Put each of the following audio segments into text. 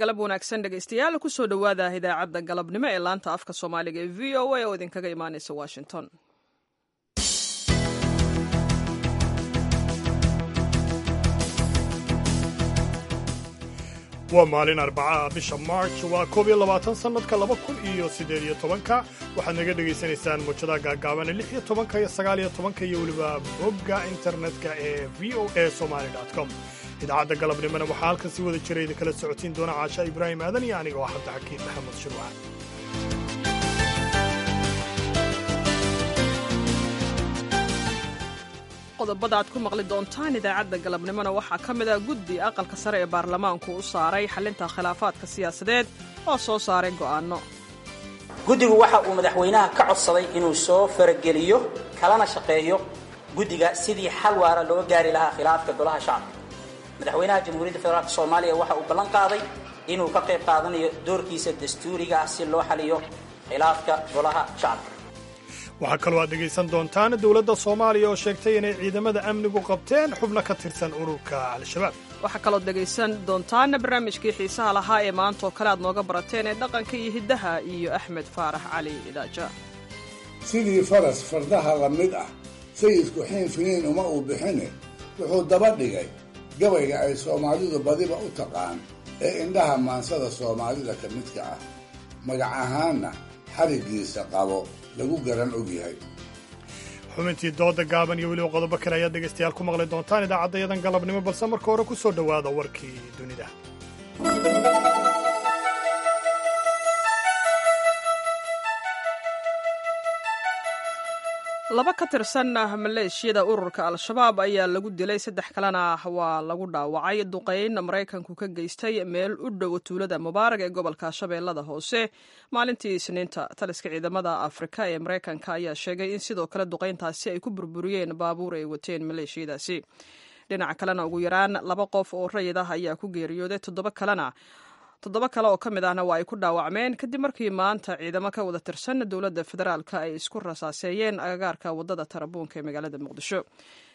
Galab wanaagsan, dhegaystayaal. Kusoo dhowaada idaacadda galabnimo ee laanta afka Soomaaliga ee VOA oo idinkaga imaanaysa Washington. Waa maalin Arbacaha, bisha March waa 21, sannadka 2018-ka. Waxaad naga dhegaysanaysaan muujadaha gaagaaban 16-ka iyo 19-ka iyo weliba bogga internetka ee VOA Somali com. Idaacadda galabnimona waxaa halkan si wada jira idinkala socotiin doona Caasha Ibraahim Aadan iyo aniga oo Cabdixakiin Maxamed Shirwac. Qodobada aad ku maqli doontaan idaacadda galabnimona waxaa ka mid ah guddi aqalka sare ee baarlamaanku u saaray xalinta khilaafaadka siyaasadeed oo soo saaray go'aanno. Guddigu waxa uu madaxweynaha ka codsaday inuu soo farageliyo kalana shaqeeyo guddiga sidii xal waara loo gaari lahaa khilaafka golaha shacabka. Madaxweynaha Jamhuuriyadda Federaalk Soomaaliya waxa uu ballan qaaday inuu ka qayb qaadanayo doorkiisa dastuuriga ah si loo xaliyo khilaafka golaha shacabka. Waxaa kaloo aad dhegaysan doontaan dowladda Soomaaliya oo sheegtay inay ciidamada amnigu qabteen xubno ka tirsan ururka Al-Shabaab. Waxaa kaloo dhegaysan doontaan barnaamijkii xiisaha lahaa ee maanta oo kale aad nooga barateen ee dhaqanka iyo hiddaha iyo Axmed Faarax Cali Idaaja. Sidii faras fardaha la mid ah, sayidku xiin finiin uma uu bixine, wuxuu daba dhigay gabayga ay Soomaalidu badiba u taqaan ee indhaha maansada Soomaalida ka midka ah, magac ahaanna xariggiisa qabo lagu garan og yahay. Xubintii dooda gaaban iyo weliba qodobo kale ayaad dhegaystayaal ku maqli doontaan idaacaddayadan galabnimo, balse marka hore ku soo dhowaada warkii dunida. Laba ka tirsan maleeshiyada ururka Al-Shabaab ayaa lagu dilay, saddex kalena waa lagu dhaawacay duqayn Maraykanku ka geystay meel u dhow tuulada Mubaarag ee gobolka Shabeellada Hoose maalintii Isniinta. Taliska ciidamada Afrika ee Maraykanka ayaa sheegay in sidoo kale duqayntaasi ay ku burburiyeen baabuur ay wateen maleeshiyadaasi. Dhinaca kalena, ugu yaraan laba qof oo rayid ah ayaa ku geeriyooday, toddoba kalena toddoba kale oo ka mid ahna waa ay ku dhaawacmeen kadib markii maanta ciidamo ka wada tirsan dowladda federaalka ay isku rasaaseeyeen agagaarka waddada Tarabuunka ee magaalada Muqdisho.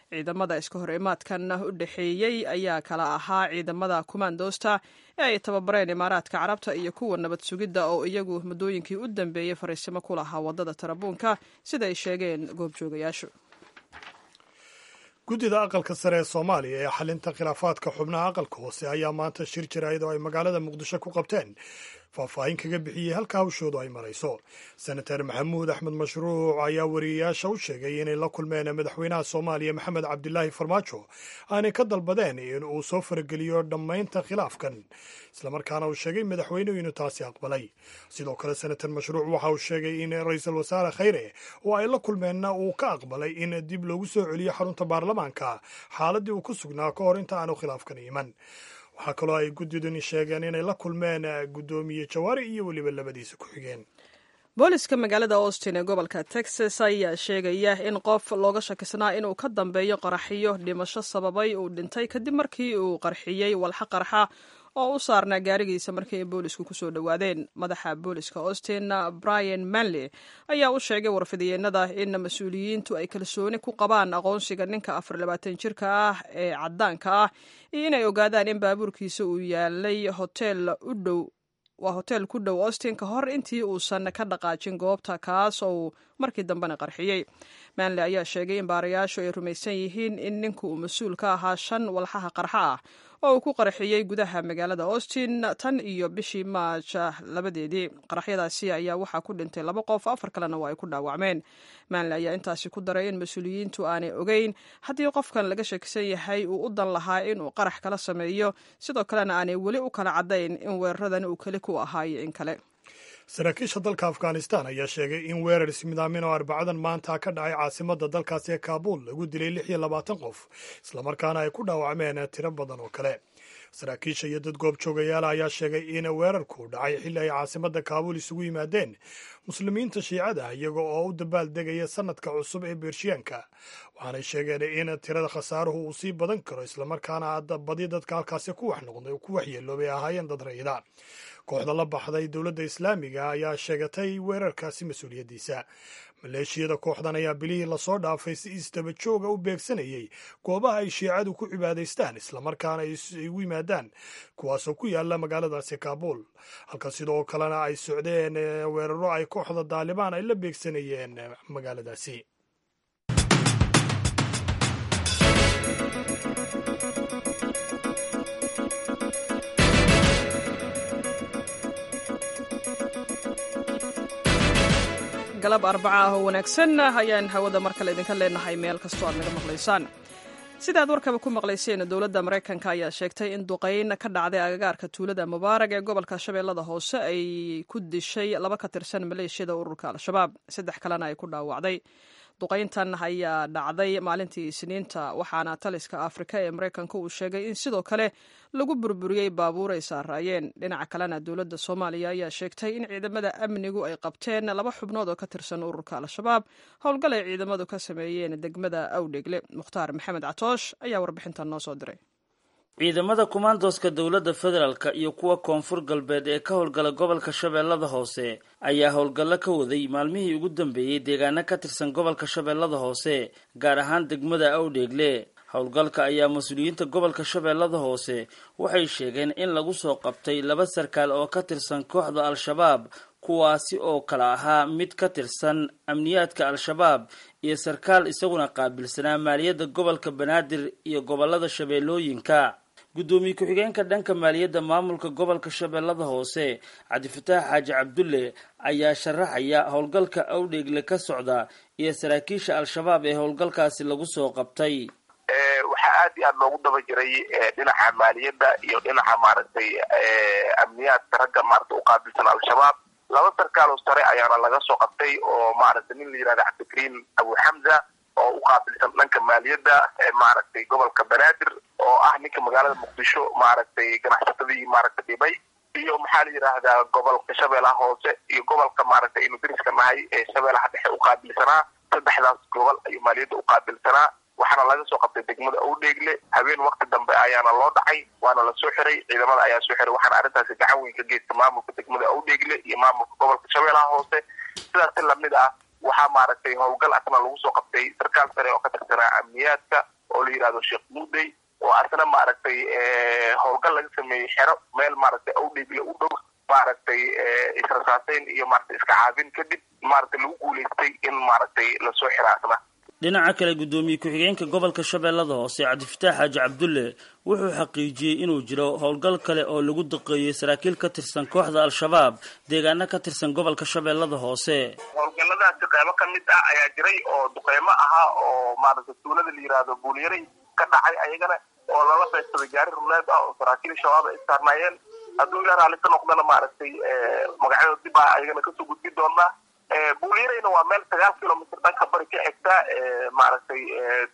Ciidamada iska hor imaadkan u dhexeeyey ayaa kala ahaa ciidamada kumaandoosta ee ay tababareen Imaaraadka Carabta iyo kuwa nabad sugidda oo iyagu muddooyinkii u dambeeyey fariisimo ku lahaa waddada Tarabuunka, sida ay sheegeen goobjoogayaashu. Guddida aqalka sare ee Soomaaliya ee xalinta khilaafaadka xubnaha aqalka hoose ayaa maanta shir jaraa'id oo ay magaalada Muqdisho ku qabteen faahfaahin kaga bixiyey halka hawshoodu ay marayso. Senator Maxamuud Axmed Mashruuc ayaa wariyeyaasha u sheegay inay la kulmeen madaxweynaha Soomaaliya Maxamed Cabdilaahi Farmaajo, aanay ka dalbadeen in uu soo farageliyo dhammaynta khilaafkan, islamarkaana uu sheegay madaxweynuhu inuu taasi aqbalay. Sidoo kale, senator Mashruuc waxa uu sheegay in ra-iisul wasaare Khayre oo ay la kulmeenna uu ka aqbalay in dib loogu soo celiyo xarunta baarlamaanka xaaladdii uu ku sugnaa ka hor inta aanu khilaafkan iman. Waxaa kaloo ay guddidani sheegeen inay la kulmeen guddoomiye Jawaari iyo weliba labadiisa ku xigeen. Booliska magaalada Austin ee gobolka Texas ayaa sheegaya in qof looga shakisnaa inuu ka dambeeyo qaraxiyo dhimasho sababay uu dhintay kadib markii uu qarxiyey walxa qarxa oo u saarnaa gaarigiisa markii ay boolisku kusoo dhowaadeen. Madaxa booliska Austin, Brian Manley, ayaa u sheegay warfidiyeenada in mas-uuliyiintu ay kalsooni ku qabaan aqoonsiga ninka 24 jirka ah ee caddaanka ah iyo inay ogaadaan in baabuurkiisa uu yaalay hotel u dhow, waa hotel ku dhow Austin, ka hor intii uusan ka dhaqaajin goobta, kaas oo uu markii dambena qarxiyey. Manley ayaa sheegay in baarayaashu ay rumaysan yihiin in ninku uu mas-uul ka ahaa shan walxaha qarxa ah oo uu ku qarxiyey gudaha magaalada Austin tan iyo bishii Maaj 2-deedii. Qaraxyadaasi ayaa waxaa ku dhintay laba qof, afar kalena waa ay ku dhaawacmeen. Manley ayaa intaasi ku daray in mas-uuliyiintu aanay ogeyn haddii qofkan laga shakisan yahay uu u dan lahaa inuu qarax kala sameeyo, sidoo kalena aanay weli u kala caddayn in weeraradan uu keli ku ahaa iyo in kale. Saraakiisha dalka Afghanistan ayaa sheegay in weerar ismidaamin oo Arbacadan maanta ka dhacay caasimadda dalkaasi ee Kaabuul lagu dilay 26 qof, islamarkaana ay ku dhaawacmeen tiro badan oo kale. Saraakiisha iyo dad goobjoogayaala ayaa sheegay in weerarku dhacay xilli ay caasimadda Kaabuul isugu yimaadeen muslimiinta Shiicada ah, iyaga oo u dabaal degaya sanadka cusub ee Beershiyaanka. Waxaanay sheegeen in tirada khasaaruhu uu sii badan karo, islamarkaana badi dadka halkaasi ku waxyeeloobay ahaayeen dad rayida. Kooxda la baxday Dowladda Islaamiga ayaa sheegatay weerarkaasi mas-uuliyaddiisa. Maleeshiyada kooxdan ayaa bilihii lasoo dhaafay si isdaba jooga u beegsanayay goobaha ay shiicadu ku cibaadaystaan islamarkaana ay isugu yimaadaan, kuwaasoo ku yaala magaaladaasi Kaabuul, halka sidoo kalena ay socdeen weeraro ay kooxda Daalibaan ay la beegsanayeen magaaladaasi. Galab Arbaca ah oo wanaagsan ayaan hawada mar kale idinka leenahay meel kastoo aad naga maqlaysaan. Sidaad warkaba ku maqlayseen, dowladda Maraykanka ayaa sheegtay in duqayn ka dhacday agagaarka tuulada Mubaarag ee gobolka Shabeellada Hoose ay ku dishay laba ka tirsan maleeshiyada ururka Al-Shabaab, saddex kalena ay ku dhaawacday. Duqayntan ayaa dhacday maalintii Isniinta, waxaana taliska Afrika ee Maraykanka uu sheegay in sidoo kale lagu burburiyey baabuur ay saaraayeen. Dhinaca kalena, dowladda Soomaaliya ayaa sheegtay in ciidamada amnigu ay qabteen laba xubnood oo ka tirsan ururka Al-Shabaab howlgal ay ciidamadu ka sameeyeen degmada Awdhegle. Mukhtaar Maxamed Catoosh ayaa warbixintan noo soo diray. Ciidamada kumaandooska dowladda federaalka iyo kuwa Koonfur Galbeed ee ka howlgala gobolka Shabeellada Hoose ayaa howlgallo ka waday maalmihii ugu dambeeyey deegaano ka tirsan gobolka Shabeellada Hoose, gaar ahaan degmada Awdheegle. Howlgalka ayaa mas-uuliyiinta gobolka Shabeellada Hoose waxay sheegeen in lagu soo qabtay laba sarkaal oo ka tirsan kooxda Al-Shabaab, kuwaasi oo kala ahaa mid ka tirsan amniyaadka Al-Shabaab iyo sarkaal isaguna qaabilsanaa maaliyadda gobolka Banaadir iyo gobolada Shabeellooyinka. Guddoomiye ku-xigeenka dhanka maaliyadda maamulka gobolka Shabeellada Hoose, Cabdifataax Xaaji Cabdulle, ayaa sharaxaya howlgalka Awdheegle ka socda iyo saraakiisha Al-Shabaab ee howlgalkaasi lagu soo qabtay. Waxaa aad iyo aad loogu daba jiray dhinaca maaliyadda iyo dhinaca maaragtay amniyaadka ragga maaragtay uqaabilsan Al-Shabaab. Laba sarkaaloo sare ayaana laga soo qabtay, oo maaragtay nin la yihahda Cabdikariim Abu Xamza oo u qaabilsan dhanka maaliyadda maaragtay gobolka Banaadir, oo ah ninka magaalada Muqdisho maaragtay ganacsatadii maaragtay dhibay, iyo maxaa la yidhaahdaa gobolka Shabeellaha Hoose iyo gobolka maaragtay aynu deriska nahay ee Shabeellaha Dhexe u qaabilsanaa. Saddexdaas gobol ayuu maaliyadda u qaabilsanaa, waxaana laga soo qabtay degmada Owdheegle. Habeen waqti dambe ayaana loo dhacay, waana la soo xiray, ciidamada ayaa soo xiray, waxaana arrintaasi gacan weyn ka geysta maamulka degmada Owdheegle iyo maamulka gobolka Shabeellaha Hoose. Sidaas si lamid ah waxaa maaragtay howlgal asna lagu soo qabtay sarkaal sare oo ka tirsanaa amniyaadka oo la yidhahdo Sheekh Muudey, oo asna maaragtay howlgal laga sameeyey xero meel maaragtay Owdheegle u dhow, maaragtay israsaaseyn iyo maaragtay iska caabin kadib maaragtay lagu guulaystay in maaragtay lasoo xira asna. Dhinaca kale, guddoomiye ku-xigeenka gobolka Shabeellada Hoose, Cabdifataax Xaaji Cabdulle, wuxuu xaqiijiyey inuu jiro howlgal kale oo lagu duqeeyey saraakiil ka tirsan kooxda Al-Shabaab deegaano ka tirsan gobolka Shabeellada Hoose. Howlgalladaasi qeybo ka mid ah ayaa jiray oo duqeymo ahaa oo maaragtay tuulada la yidhaahdo Buulyaray ka dhacay ayagana, oo lala beegsaday gaari ruleed ah oo saraakiil Shabaab ay saarnaayeen. Hadduu Ilaa raalli ka noqdana maaragtay magacyadooda dib ah ayagana kasoo gudbi doonaa. Buulyarayna waa meel 9 kilomitr dhanka bari ka xigta maaragtay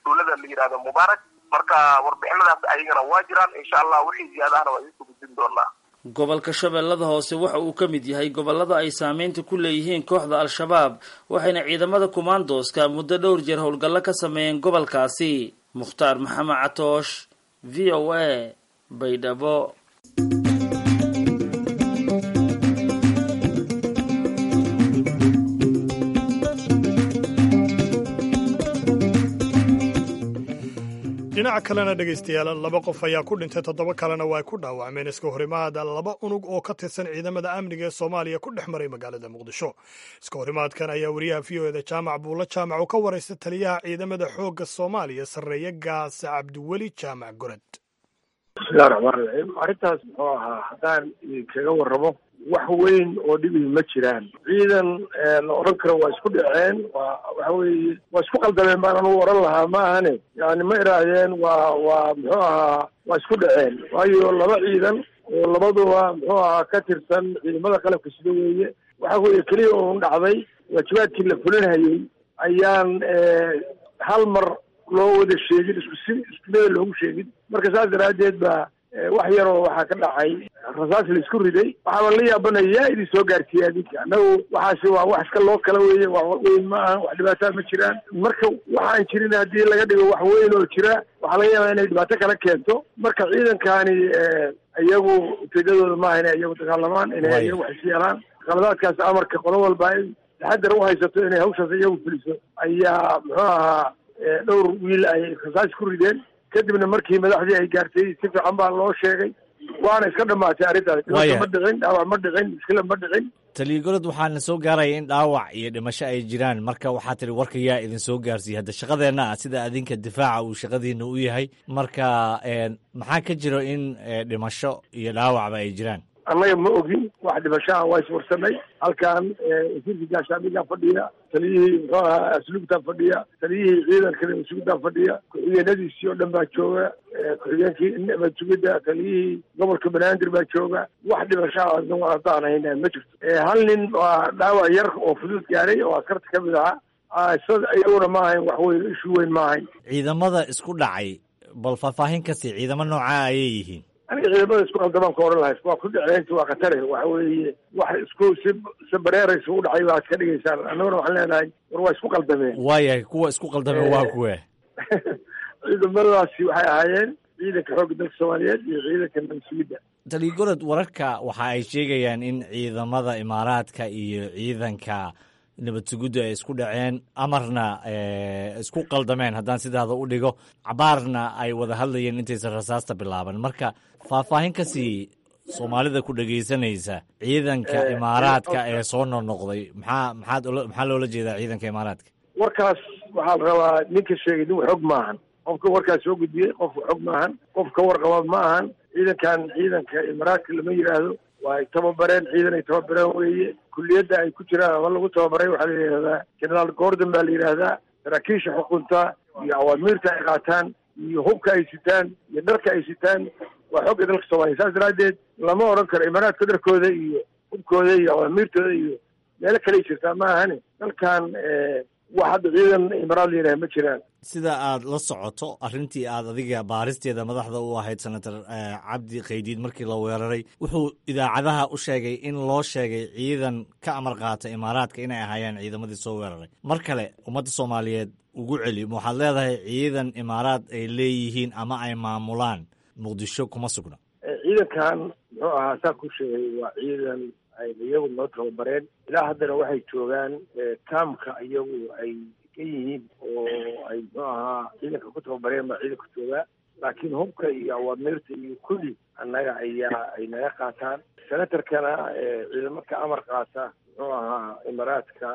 tuulada la yidhahdo Mubaarak. Marka warbixinadaas ayagana waa jiraan, insha Allah wixii ziyaadahana waa idinsoo gudbin doonaa. Gobolka Shabeellada Hoose waxa uu ka mid yahay gobolada ay saameynta ku leeyihiin kooxda Al-Shabaab, waxayna ciidamada kumaandooska muddo dhowr jeer howlgallo ka sameeyeen gobolkaasi. Mukhtaar Maxamed Catoosh, VOA, Baydhabo. Dhinaca kalena, dhegaystayaal, laba qof ayaa ku dhintay, toddoba kalena waa ay ku dhaawacmeen iska horimaada laba unug oo ka tirsan ciidamada amniga ee Soomaaliya ku dhex maray magaalada Muqdisho. Iska horimaadkan ayaa wariyaha VOA-da Jaamac Buulla Jaamac uu ka waraysta taliyaha ciidamada xoogga Soomaaliya, Sarreeye Gaase Cabdiweli Jaamac Gorod. Bismillahi raxmaan raxiim. Arrintaas muxuu ahaa, haddaan idinkaga warramo, wax weyn oo dhibi ma jiraan. Ciidan la odhan karo waa isku dhaceen, waa waxa weeye waa isku qaldameen baan anugu odhan lahaa, ma ahane yani ma idhaahdeen waa muxuu ahaa waa isku dhaceen, waayo laba ciidan oo labaduba muxuu ahaa ka tirsan ciidamada qalabka sida weeye. Waxa weeye keliya uun dhacday waajibaadkii la fulinhayey ayaan hal mar loo wada sheegin, isku si isku meel loogu sheegin. Marka saas daraaddeed baa wax yaroo waxaa ka dhacay rasaas la isku riday. Waxaaba la yaabanaya yaa idin soo gaarsiiya adinka. Annagu waxaasi waa wax iska loo kala weeye, wax weyn ma aha, wax dhibaataa ma jiraan. Marka waxaan jirin haddii laga dhigo wax weyn oo jira, waxaa laga yaabaa inay dhibaato kala keento. Marka ciidankani iyagu ujeedadooda maaha inay iyagu dagaalamaan, inay iyagu wax is yeelaan. Qaladaadkaas amarka qolo walba in taxadar u haysato inay hawshaas iyagu fuliso ayaa muxuu ahaa dhowr wiil ay rasaas ku rideen. Kadibna markii madaxdii ay gaartay si fiican baa loo sheegay, waana iska dhamaatay arrintaas. Dhibaato ma dhicin, dhaawac ma dhicin, mushkila ma dhicin. Taliya Gorod, waxaana soo gaaraya in dhaawac iyo dhimasho ay jiraan. Marka waxaa tiri warka yaa idin soo gaarsiiyey. Hadda shaqadeenna ah sida adinka difaaca uu shaqadiina u yahay, marka maxaa ka jiro in dhimasho iyo dhaawacba ay jiraan? Annaga ma ogin wax dhimashaha, waa iswarsanay. Halkan wasiirka gaashaamigaa fadhiya, taliyihii muxuu ahaa asluubtaa fadhiya, taliyihii ciidanka nabadsugidaa fadhiya, ku-xigeenadiisii oo dhan baa jooga, ku-xigeenkii nabadsugidda, taliyihii gobolka banaadir baa jooga. Wax dhimashaha haddaan hayna ma jirto. Hal nin waa dhaawac yar oo fudud gaaray oo askarta ka mid ahaa, iyaguna ma ahayn wax weyn, ishu weyn ma ahayn. Ciidamada isku dhacay bal faahfaahin kasi, ciidamo noocaa ayay yihiin? Aniga ciidamada isku qaldamaan ka oran lahay, waa ku dhaceen, waa khatare. Waxa weeye wax isku si si bareeraysa u dhacay baad ka dhigaysaan. Annaguna waxaan leenahay war waa isku qaldameen. Waayahay, kuwa isku qaldameen waa kuwe? Ciidamadaasi waxay ahaayeen ciidanka xoogga dalka Soomaaliyeed iyo ciidanka nabadsugidda. Taliya Gorod, wararka waxa ay sheegayaan in ciidamada Imaaraadka iyo ciidanka nabad sugiddu ay isku dhaceen, amarna isku qaldameen haddaan sidaada u dhigo, cabaarna ay wada hadlayeen intaysan rasaasta bilaaban. Marka faahfaahin ka sii Soomaalida ku dhegaysanaysa ciidanka Imaaraadka ee soo noqnoqday. Maxaa maxaad maxaa loola jeedaa ciidanka Imaaraadka? Warkaas waxaa la rabaa ninka sheegay nin xog maahan. Qofka warkaas soo gudbiyey qof xog maahan, qof ka warqaba ma ahan. Ciidankan ciidanka Imaaraadka lama yidhaahdo. Waa ay tababareen, ciidan ay tababareen weeye. Kulliyadda ay ku jiraan ama lagu tababaray waxaa la yidhahdaa Generaal Gordon baa la yidhaahdaa. Saraakiisha xukunta iyo awaamiirta ay qaataan iyo hubka ay sitaan iyo dharka ay sitaan waa xogga dalka Soomaaliya. Saas daraaddeed lama odhan karo Imaaraadka dharkooda iyo hubkooda iyo awaamiirtooda iyo meelo kaley jirtaa ma ahane. Dalkan wax hadda ciidan Imaaraad la yidhaha ma jiraan. Sida aad la socoto arrintii aad adiga baaristeeda madaxda u ahayd, Senator Cabdi Khaydiid markii la weeraray wuxuu idaacadaha u sheegay in loo sheegay ciidan ka amar qaata Imaaraadka inay ahaayeen ciidamadii soo weeraray. Mar kale ummadda Soomaaliyeed ugu celi, waxaad leedahay ciidan Imaaraad ay leeyihiin ama ay maamulaan Muqdisho kuma sugna? Ciidankan muxuu ahaa saa ku sheegay waa ciidan ay iyagu noo tababareen. Ilaa haddana waxay joogaan kaamka iyagu ay ka yihiin oo ay muxuu ahaa ciidanka ku tababareen baa ciidanka joogaa, laakiin hubka iyo awaamiirta iyo kulli annaga ayaa ay naga qaataan. Senatarkana ciidamo ka amar qaata muxuu ahaa Imaaraadka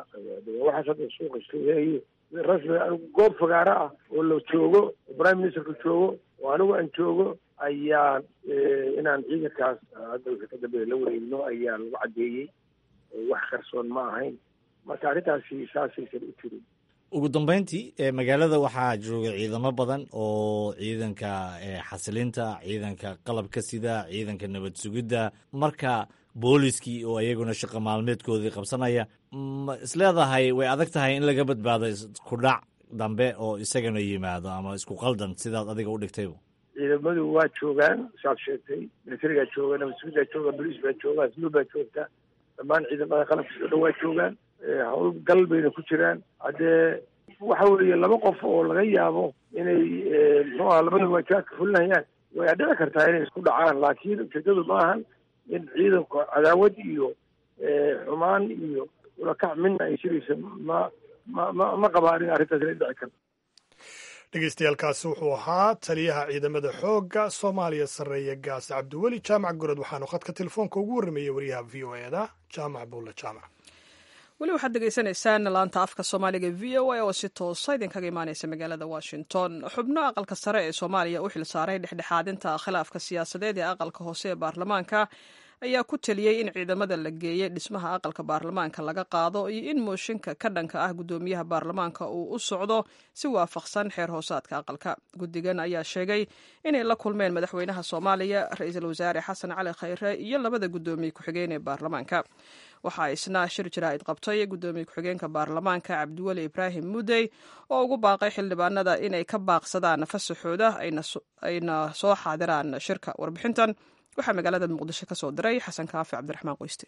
waxaas hadda suuqa isleeyahay rasmi. Anigu goob fagaaro ah oo la joogo, prime ministerka joogo oo anigu aan joogo, ayaa inaan ciidankaas hadda wixii ka dambeeya la wareegno ayaa lagu caddeeyey. Wax qarsoon ma ahayn. Marka arrintaasi saasaysan u jirin. Ugu dambeyntii, magaalada waxaa jooga ciidamo badan oo ciidanka xasilinta, ciidanka qalabka sida, ciidanka nabad sugidda, marka booliskii oo iyaguna shaqo maalmeedkoodii qabsanaya. Ma isleedahay way adag tahay in laga badbaado isku dhac dambe oo isagana yimaado ama isku qaldan sidaad adiga u dhigtayba? Ciidamadu waa joogaan saad sheegtay, militarigaa jooga, nabad sugiddaa jooga, boliis baa jooga, asluub baa joogta, dhammaan ciidamada qalabkiisa o dhan waa joogaan, howlgal bayna ku jiraan. Haddee waxa weeye laba qof oo laga yaabo inay muxuu aha labada waajibaadka fulinayaan way dhici kartaa inay isku dhacaan, laakiin ujeedadu ma ahan in ciidanku cadaawad iyo xumaan iyo ulakac midna ay jiraysa. Ma qabaan in arrintaas inay dhici karto. Dhegeystayaaalkaasi wuxuu ahaa taliyaha ciidamada xoogga Soomaaliya sarreeya gaas Cabdiweli Jaamac Gorod, waxaanu khadka telefoonka ugu warrameeyey wariyaha V O E da Jaamac Buulle Jaamac. Weli waxaad degeysanaysaan laanta afka Soomaaliga V O A oo si toosa idinkaga imaaneysa magaalada Washington. Xubno aqalka sare ee Soomaaliya u xilsaaray dhexdhexaadinta khilaafka siyaasadeed ee aqalka hoose ee baarlamaanka ayaa ku taliyey in ciidamada la geeyey dhismaha aqalka baarlamaanka laga qaado iyo in mooshinka ka dhanka ah guddoomiyaha baarlamaanka uu u socdo si waafaqsan xeer hoosaadka aqalka. Guddigan ayaa sheegay inay la kulmeen madaxweynaha Soomaaliya, ra-iisul wasaare Xasan Cali Khayre iyo labada guddoomiye ku-xigeen ee baarlamaanka. Waxaa isna shir jaraa'id qabtay guddoomiye ku-xigeenka baarlamaanka Cabdiweli Ibraahim Mudey oo ugu baaqay xildhibaanada inay ka baaqsadaan fasaxooda ayna soo xaadiraan shirka. Warbixintan waxaa magaalada Muqdisho ka soo diray Xasan Kaafi Cabdiraxmaan Qoyste.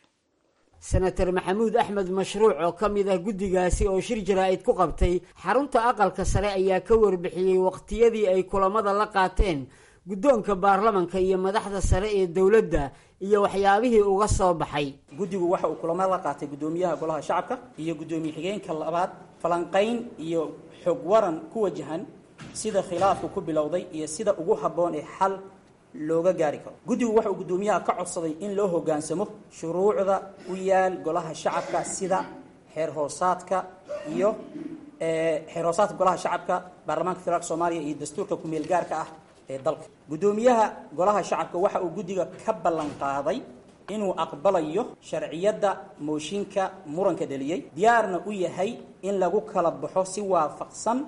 Senator Maxamuud Axmed Mashruuc oo ka mid ah guddigaasi oo shir jaraa'id ku qabtay xarunta aqalka sare ayaa ka warbixiyey waqtiyadii ay kulamada la qaateen guddoonka baarlamanka iyo madaxda sare ee dowladda iyo waxyaabihii uga soo baxay. Guddigu waxa uu kulamo la qaatay guddoomiyaha golaha shacabka iyo guddoomiye xigeenka labaad, falanqayn iyo xog waran ku wajahan sida khilaafku ku bilowday iyo sida ugu habboon ee xal looga gaari karo. Guddigu waxa uu guddoomiyaha ka codsaday in loo hoggaansamo shuruucda u yaal golaha shacabka sida xeer hoosaadka iyo xeer hoosaadka golaha shacabka baarlamaanka federaalka Soomaaliya iyo dastuurka ku-meel gaarka ah ee dalka. Guddoomiyaha golaha shacabka waxa uu guddiga ka ballan qaaday inuu aqbalayo sharciyadda mooshinka muranka dhaliyey, diyaarna u yahay in lagu kala baxo si waafaqsan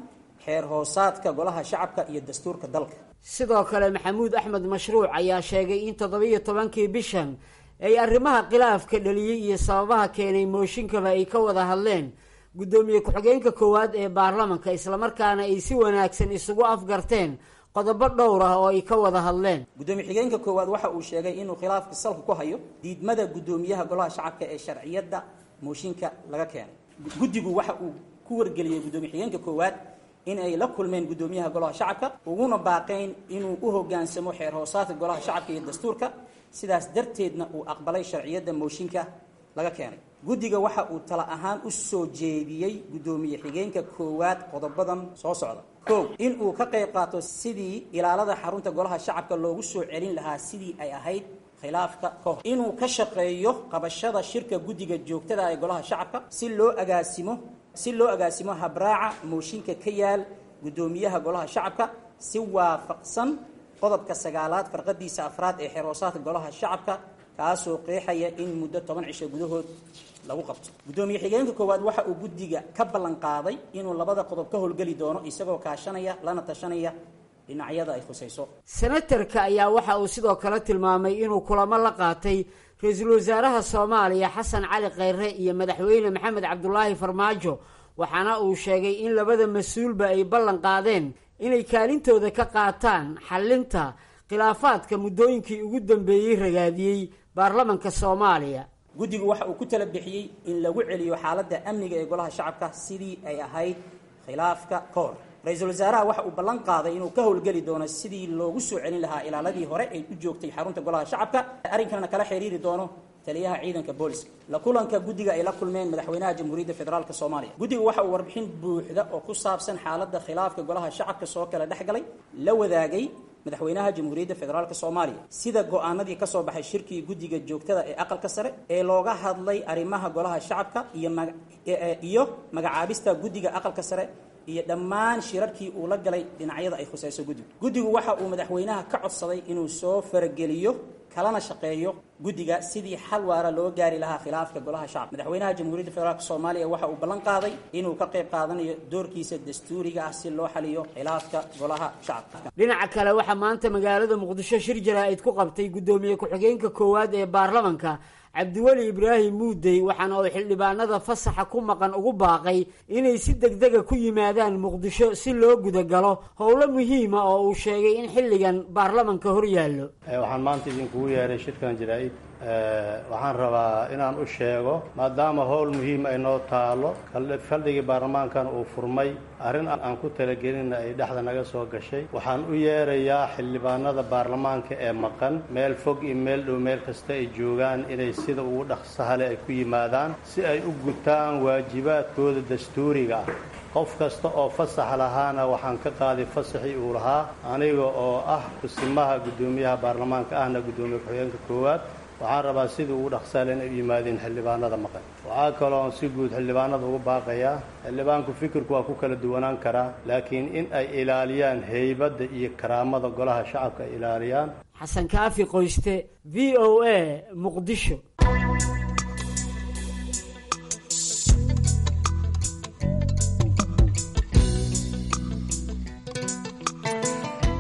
xeer hoosaadka golaha shacabka iyo dastuurka dalka. Sidoo kale Maxamuud Axmed Mashruuc ayaa sheegay in 17-kii bishan ay arrimaha khilaafka dhaliyey iyo sababaha keenay mooshinkaba ay ka wada hadleen guddoomiye ku-xigeenka koowaad ee baarlamanka, islamarkaana ay si wanaagsan isugu afgarteen qodobo dhowr ah oo ay ka wada hadleen. Guddoomiye xigeenka koowaad waxa uu sheegay inuu khilaafka salka ku hayo diidmada guddoomiyaha golaha shacabka ee sharciyadda mooshinka laga keenay. Guddigu waxa uu ku wargeliyey guddoomiye xigeenka koowaad in ay la kulmeen guddoomiyaha golaha shacabka uguna baaqeen inuu u hoggaansamo xeer hoosaadka golaha shacabka iyo dastuurka, sidaas darteedna uu aqbalay sharciyadda mooshinka laga keenay. Guddiga waxa uu tala ahaan u soo jeediyey guddoomiye xigeenka koowaad qodobadan soo socda: kow, in uu ka qayb qaato sidii ilaalada xarunta golaha shacabka loogu soo celin lahaa sidii ay ahayd khilaafka ka hor, inuu ka shaqeeyo qabashada shirka guddiga joogtada ee golaha shacabka si loo agaasimo habraaca mooshinka ka yaal guddoomiyaha golaha shacabka si waafaqsan qodobka 9aad farqadiisa 4aad ee xeer hoosaadka golaha shacabka, kaasoo qeexaya in muddo 10 cisho gudahood lagu qabto. Guddoomiye xigeenka koowaad waxa uu guddiga ka ballan qaaday inuu labada qodob ka howlgeli doono isagoo kaashanaya lana tashanaya dhinacyada ay khusayso. Senatarka ayaa waxa uu sidoo kale tilmaamay inuu kulamo la qaatay ra-iisul wasaaraha Soomaaliya Xasan Cali Kheyre iyo madaxweyne Maxamed Cabdulaahi Farmaajo, waxaana uu sheegay in labada mas-uulba ay ballan qaadeen inay kaalintooda ka qaataan xallinta khilaafaadka muddooyinkii ugu dambeeyey ragaadiyey baarlamanka Soomaaliya. Guddigu waxa uu ku tala bixiyey in lagu celiyo xaaladda amniga ee golaha shacabka sidii ay ahayd khilaafka ka hor. Ra-iisul wasaaraha waxa uu ballan qaaday inuu ka howlgeli doono sidii loogu soo celin lahaa ilaaladii hore ay u joogtay xarunta golaha shacabka, arrinkanna kala xiriiri doono taliyaha ciidanka booliska. La kulanka guddiga ay la kulmeen madaxweynaha Jamhuuriyadda Federaalka Soomaaliya, guddigu waxa uu warbixin buuxda oo ku saabsan xaaladda khilaafka golaha shacabka soo kala dhex galay la wadaagay madaxweynaha Jamhuuriyadda Federaalka Soomaaliya, sida go'aanadii ka soo baxay shirkii guddiga joogtada ee aqalka sare ee looga hadlay arrimaha golaha shacabka iyo magacaabista guddiga aqalka sare iyo dhammaan shirarkii uu la galay dhinacyada ay khusayso guddigu. Guddigu waxa uu madaxweynaha ka codsaday inuu soo farageliyo kalana shaqeeyo guddiga sidii xal waara loo gaari lahaa khilaafka golaha shacabka. Madaxweynaha Jamhuuriyadda Federaalka Soomaaliya waxa uu ballan qaaday inuu ka qayb qaadanayo doorkiisa dastuuriga ah si loo xaliyo khilaafka golaha shacabka. Dhinaca kale, waxaa maanta magaalada Muqdisho shir jaraa'id ku qabtay guddoomiye ku-xigeenka koowaad ee baarlamanka Cabdiweli Ibraahim Muudey, waxaana uu xildhibaanada fasaxa ku maqan ugu baaqay inay si degdega ku yimaadaan Muqdisho si loo gudagalo howlo muhiima oo uu sheegay in xilligan baarlamanka hor yaallo. Waxaan maanta idinkugu yeeray shirkan jaraa'id. Waxaan rabaa inaan u sheego, maadaama howl muhiim ay noo taalo, fadhigii baarlamaankan uu furmay, arrin aan ku talagelinna ay dhexda naga soo gashay, waxaan u yeerayaa xildhibaanada baarlamaanka ee maqan meel fog iyo meel dhow, meel kasta ay joogaan, inay sida ugu dhaqsahale ay ku yimaadaan si ay u gutaan waajibaadkooda dastuuriga ah. Qof kasta oo fasax lahaana waxaan ka qaaday fasaxii uu lahaa, aniga oo ah kusimaha guddoomiyaha baarlamaanka ahna guddoomiye ku-xigeenka koowaad. Waxaan rabaa sidii ugu dhaqsaale inay u yimaadeen xildhibaanada maqan. Waxaa kaloon si guud xildhibaanada ugu baaqayaa, xildhibaanku fikirku waa ku kala duwanaan karaa, laakiin in ay ilaaliyaan heybadda iyo karaamada golaha shacabka ay ilaaliyaan. Xasan Kaafi Qoyste, V O A, Muqdisho.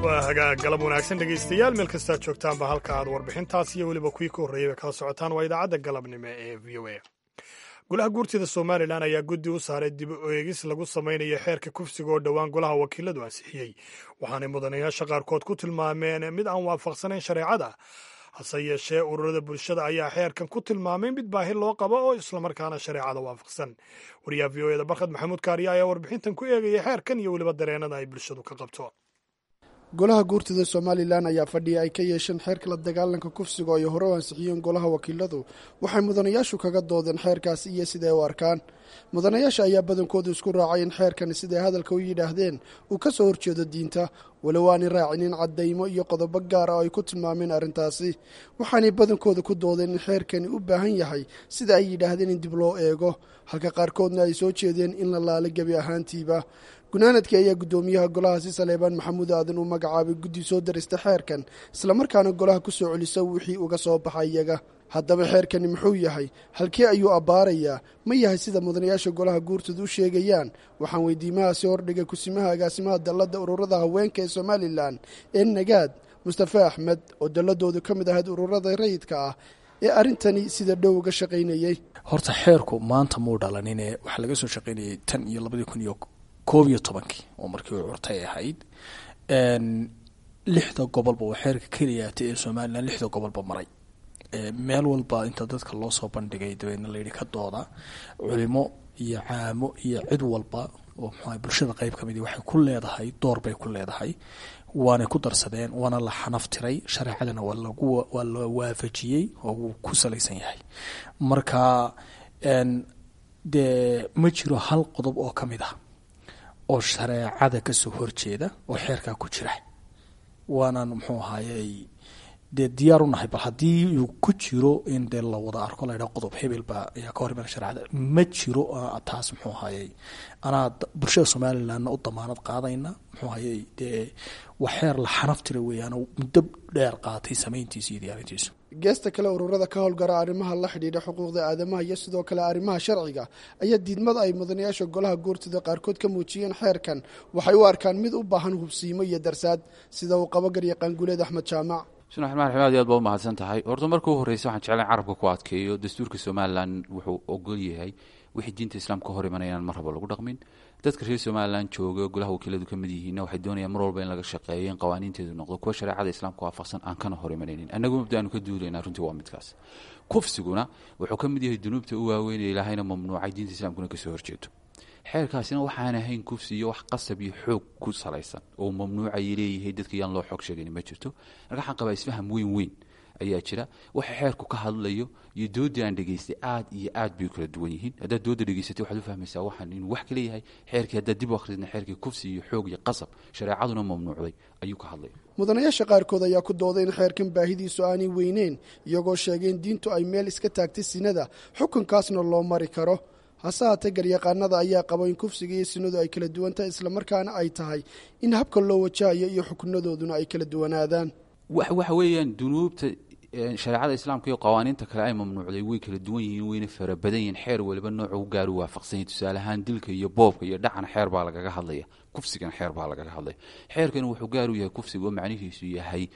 Waa hagaag, galab wanaagsan dhegaystayaal, meel kastaad joogtaanba. Halka aad warbixintaas iyo weliba kuwii ka horreeyayba kala socotaan waa idaacadda galabnimo ee V O A. Golaha guurtida Somalilan ayaa guddi u saaray dib u eegis lagu samaynayo xeerka kufsiga oo dhowaan golaha wakiiladu ansixiyey, waxaanay mudanayaasha qaarkood ku tilmaameen mid aan waafaqsanayn shareecada. Hase yeeshee, ururada bulshada ayaa xeerkan ku tilmaamay mid baahi loo qabo oo islamarkaana shareecada waafaqsan. Wariyaha V O eda Barkhad Maxamuud Kaariya ayaa warbixintan ku eegaya xeerkan iyo weliba dareenada ay bulshadu ka qabto. Golaha guurtida Somalilan ayaa fadhiya ay ka yeesheen xeerka la dagaalanka kufsiga oo ay hore u ansixiyeen golaha wakiiladu. Waxay mudanayaashu kaga doodeen xeerkaasi iyo siday u arkaan. Mudanayaasha ayaa badankoodu isku raacay in xeerkani, siday hadalka u yidhaahdeen, uu ka soo horjeedo diinta, walow aanay raacinin caddaymo iyo qodobo gaar ah oo ay ku tilmaameen arrintaasi. Waxaanay badankooda ku doodeen in xeerkani u baahan yahay, sida ay yidhaahdeen, in dib loo eego, halka qaarkoodna ay soo jeedeen in la laalo gebi ahaantiiba. Gunaanadkii ayaa guddoomiyaha golahaasi, Saleebaan Maxamuud Aadan, uu magacaabay guddi soo darista xeerkan, islamarkaana golaha ku soo celisa wixii uga soo baxay iyaga. Haddaba xeerkani muxuu yahay? Halkee ayuu abbaarayaa? Ma yahay sida mudanayaasha golaha guurtooda u sheegayaan? Waxaan weydiimahaasi hordhigay kusimaha agaasimaha dalladda ururada haweenka ee Somalilan ee Nagaad, Mustafe Axmed, oo dalladoodu ka mid ahayd ururada rayidka ah ee arrintani sida dhow uga shaqaynayey. Horta xeerku maanta muu dhalanine, waxaa laga soo shaqaynayay tan iyo 2011-kii oo markii uu curtay ahayd. Lixda gobolba oo xeerka keliyaata ee Somalilan lixda gobolba maray, meel walba inta dadka loo soo bandhigay, dabeedna layidhi ka dooda. Culimo iyo caamo iyo cid walba oo muxuaha bulshada qeyb ka midi waxay ku leedahay door bay ku leedahay, waanay ku darsadeen, waana la xanaftiray, shareecadana waa lagu waa la waafajiyey oo wuu ku salaysan yahay. Marka dee ma jiro hal qodob oo ka mid ah oo shareecada kasoo horjeeda oo xeerkaa ku jira, waanaan muxuu ahaayey dee diyaar u nahay bal haddii uu ku jiro in dee la wada arko, la ydhaha qodob hebel baa ayaa ka hor imanaya shareecada. Ma jiro taas. Muxuu ahaayey, anaa bulshada Somalilandna u damaanad qaadayna. Muxuu ahayey, dee wax xeer la xanaf tira weeyaan oo muddo dheer qaatay samayntiisa iyo diyaarintiisu. Geesta kale, ururada ka howlgara arrimaha la xidhiidha xuquuqda aadamaha iyo sidoo kale arrimaha sharciga ayaa diidmada ay mudanayaasha golaha guurtida qaarkood ka muujiyeen xeerkan waxay u arkaan mid u baahan hubsiimo iyo darsaad, sida uu qabo garyaqaan Guleed Axmed Jaamac. Bismillahi raxmaan raxiim. Aad iyo aad baa umahadsan tahay. Horta marka u horreysa waxaan jeclayn carabka ku adkeeyo dastuurka Somalilan wuxuu ogol yahay wixii diinta islaamka ka hor imanaya inaan mar raba lagu dhaqmin. Dadka reer Somalilan jooga, golaha wakiiladu ka mid yihiinna, waxay doonayaan mar walba in laga shaqeeyo in qawaaniinteedu noqdo kuwa shareecada islaamka waafaqsan, aan kana hor imanaynin. Annagu mabda aanu ka duulaynaa runtii waa midkaas. Kufsiguna wuxuu ka mid yahay dunuubta u waaweyn ee Ilaahayna mamnuucay, diinta islaamkuna kasoo horjeedo. Xeerkaasina waxaan ahayn kufsi iyo wax qasab iyo xoog ku salaysan oo mamnuucay leeyahay dadka yaan loo xoog sheegin ma jirto. Marka waxaan qabaa isfaham weyn weyn ayaa jira. Waxa xeerku ka hadlayo iyo doodii aan dhegaystay aad iyo aad bay u kala duwan yihiin. Haddaad dooda dhegaysatay, waxaad u fahmaysaa waxaan inuu wax kala yahay. Xeerkii haddaad dib u akhridna, xeerkii kufsi iyo xoog iyo qasab shareecaduna mamnuucday ayuu ka hadlaya. Mudanayaasha qaarkood ayaa ku dooday in xeerkan baahidiisu aanay weyneyn, iyagoo sheegay in diintu ay meel iska taagtay sinada, xukunkaasna loo mari karo. Hase haatee garyaqaanada ayaa qabo in kufsiga iyo sinadu ay kala duwan tahay, islamarkaana ay tahay in habka loo wajahayo iyo xukunadooduna ay kala duwanaadaan. Waxa weeyaan dunuubta shareecada islaamka iyo qawaaniinta kale ay mamnuucday way kala duwan yihiin, wayna fara badan yihiin. Xeer waliba nooca u gaaru waafaqsan yahay. Tusaale ahaan, dilka iyo boobka iyo dhacana xeer baa lagaga hadlaya, kufsigana xeer baa lagaga hadlaya. Xeerkani wuxuu gaar u yahay kufsiga oo macnihiisu yahay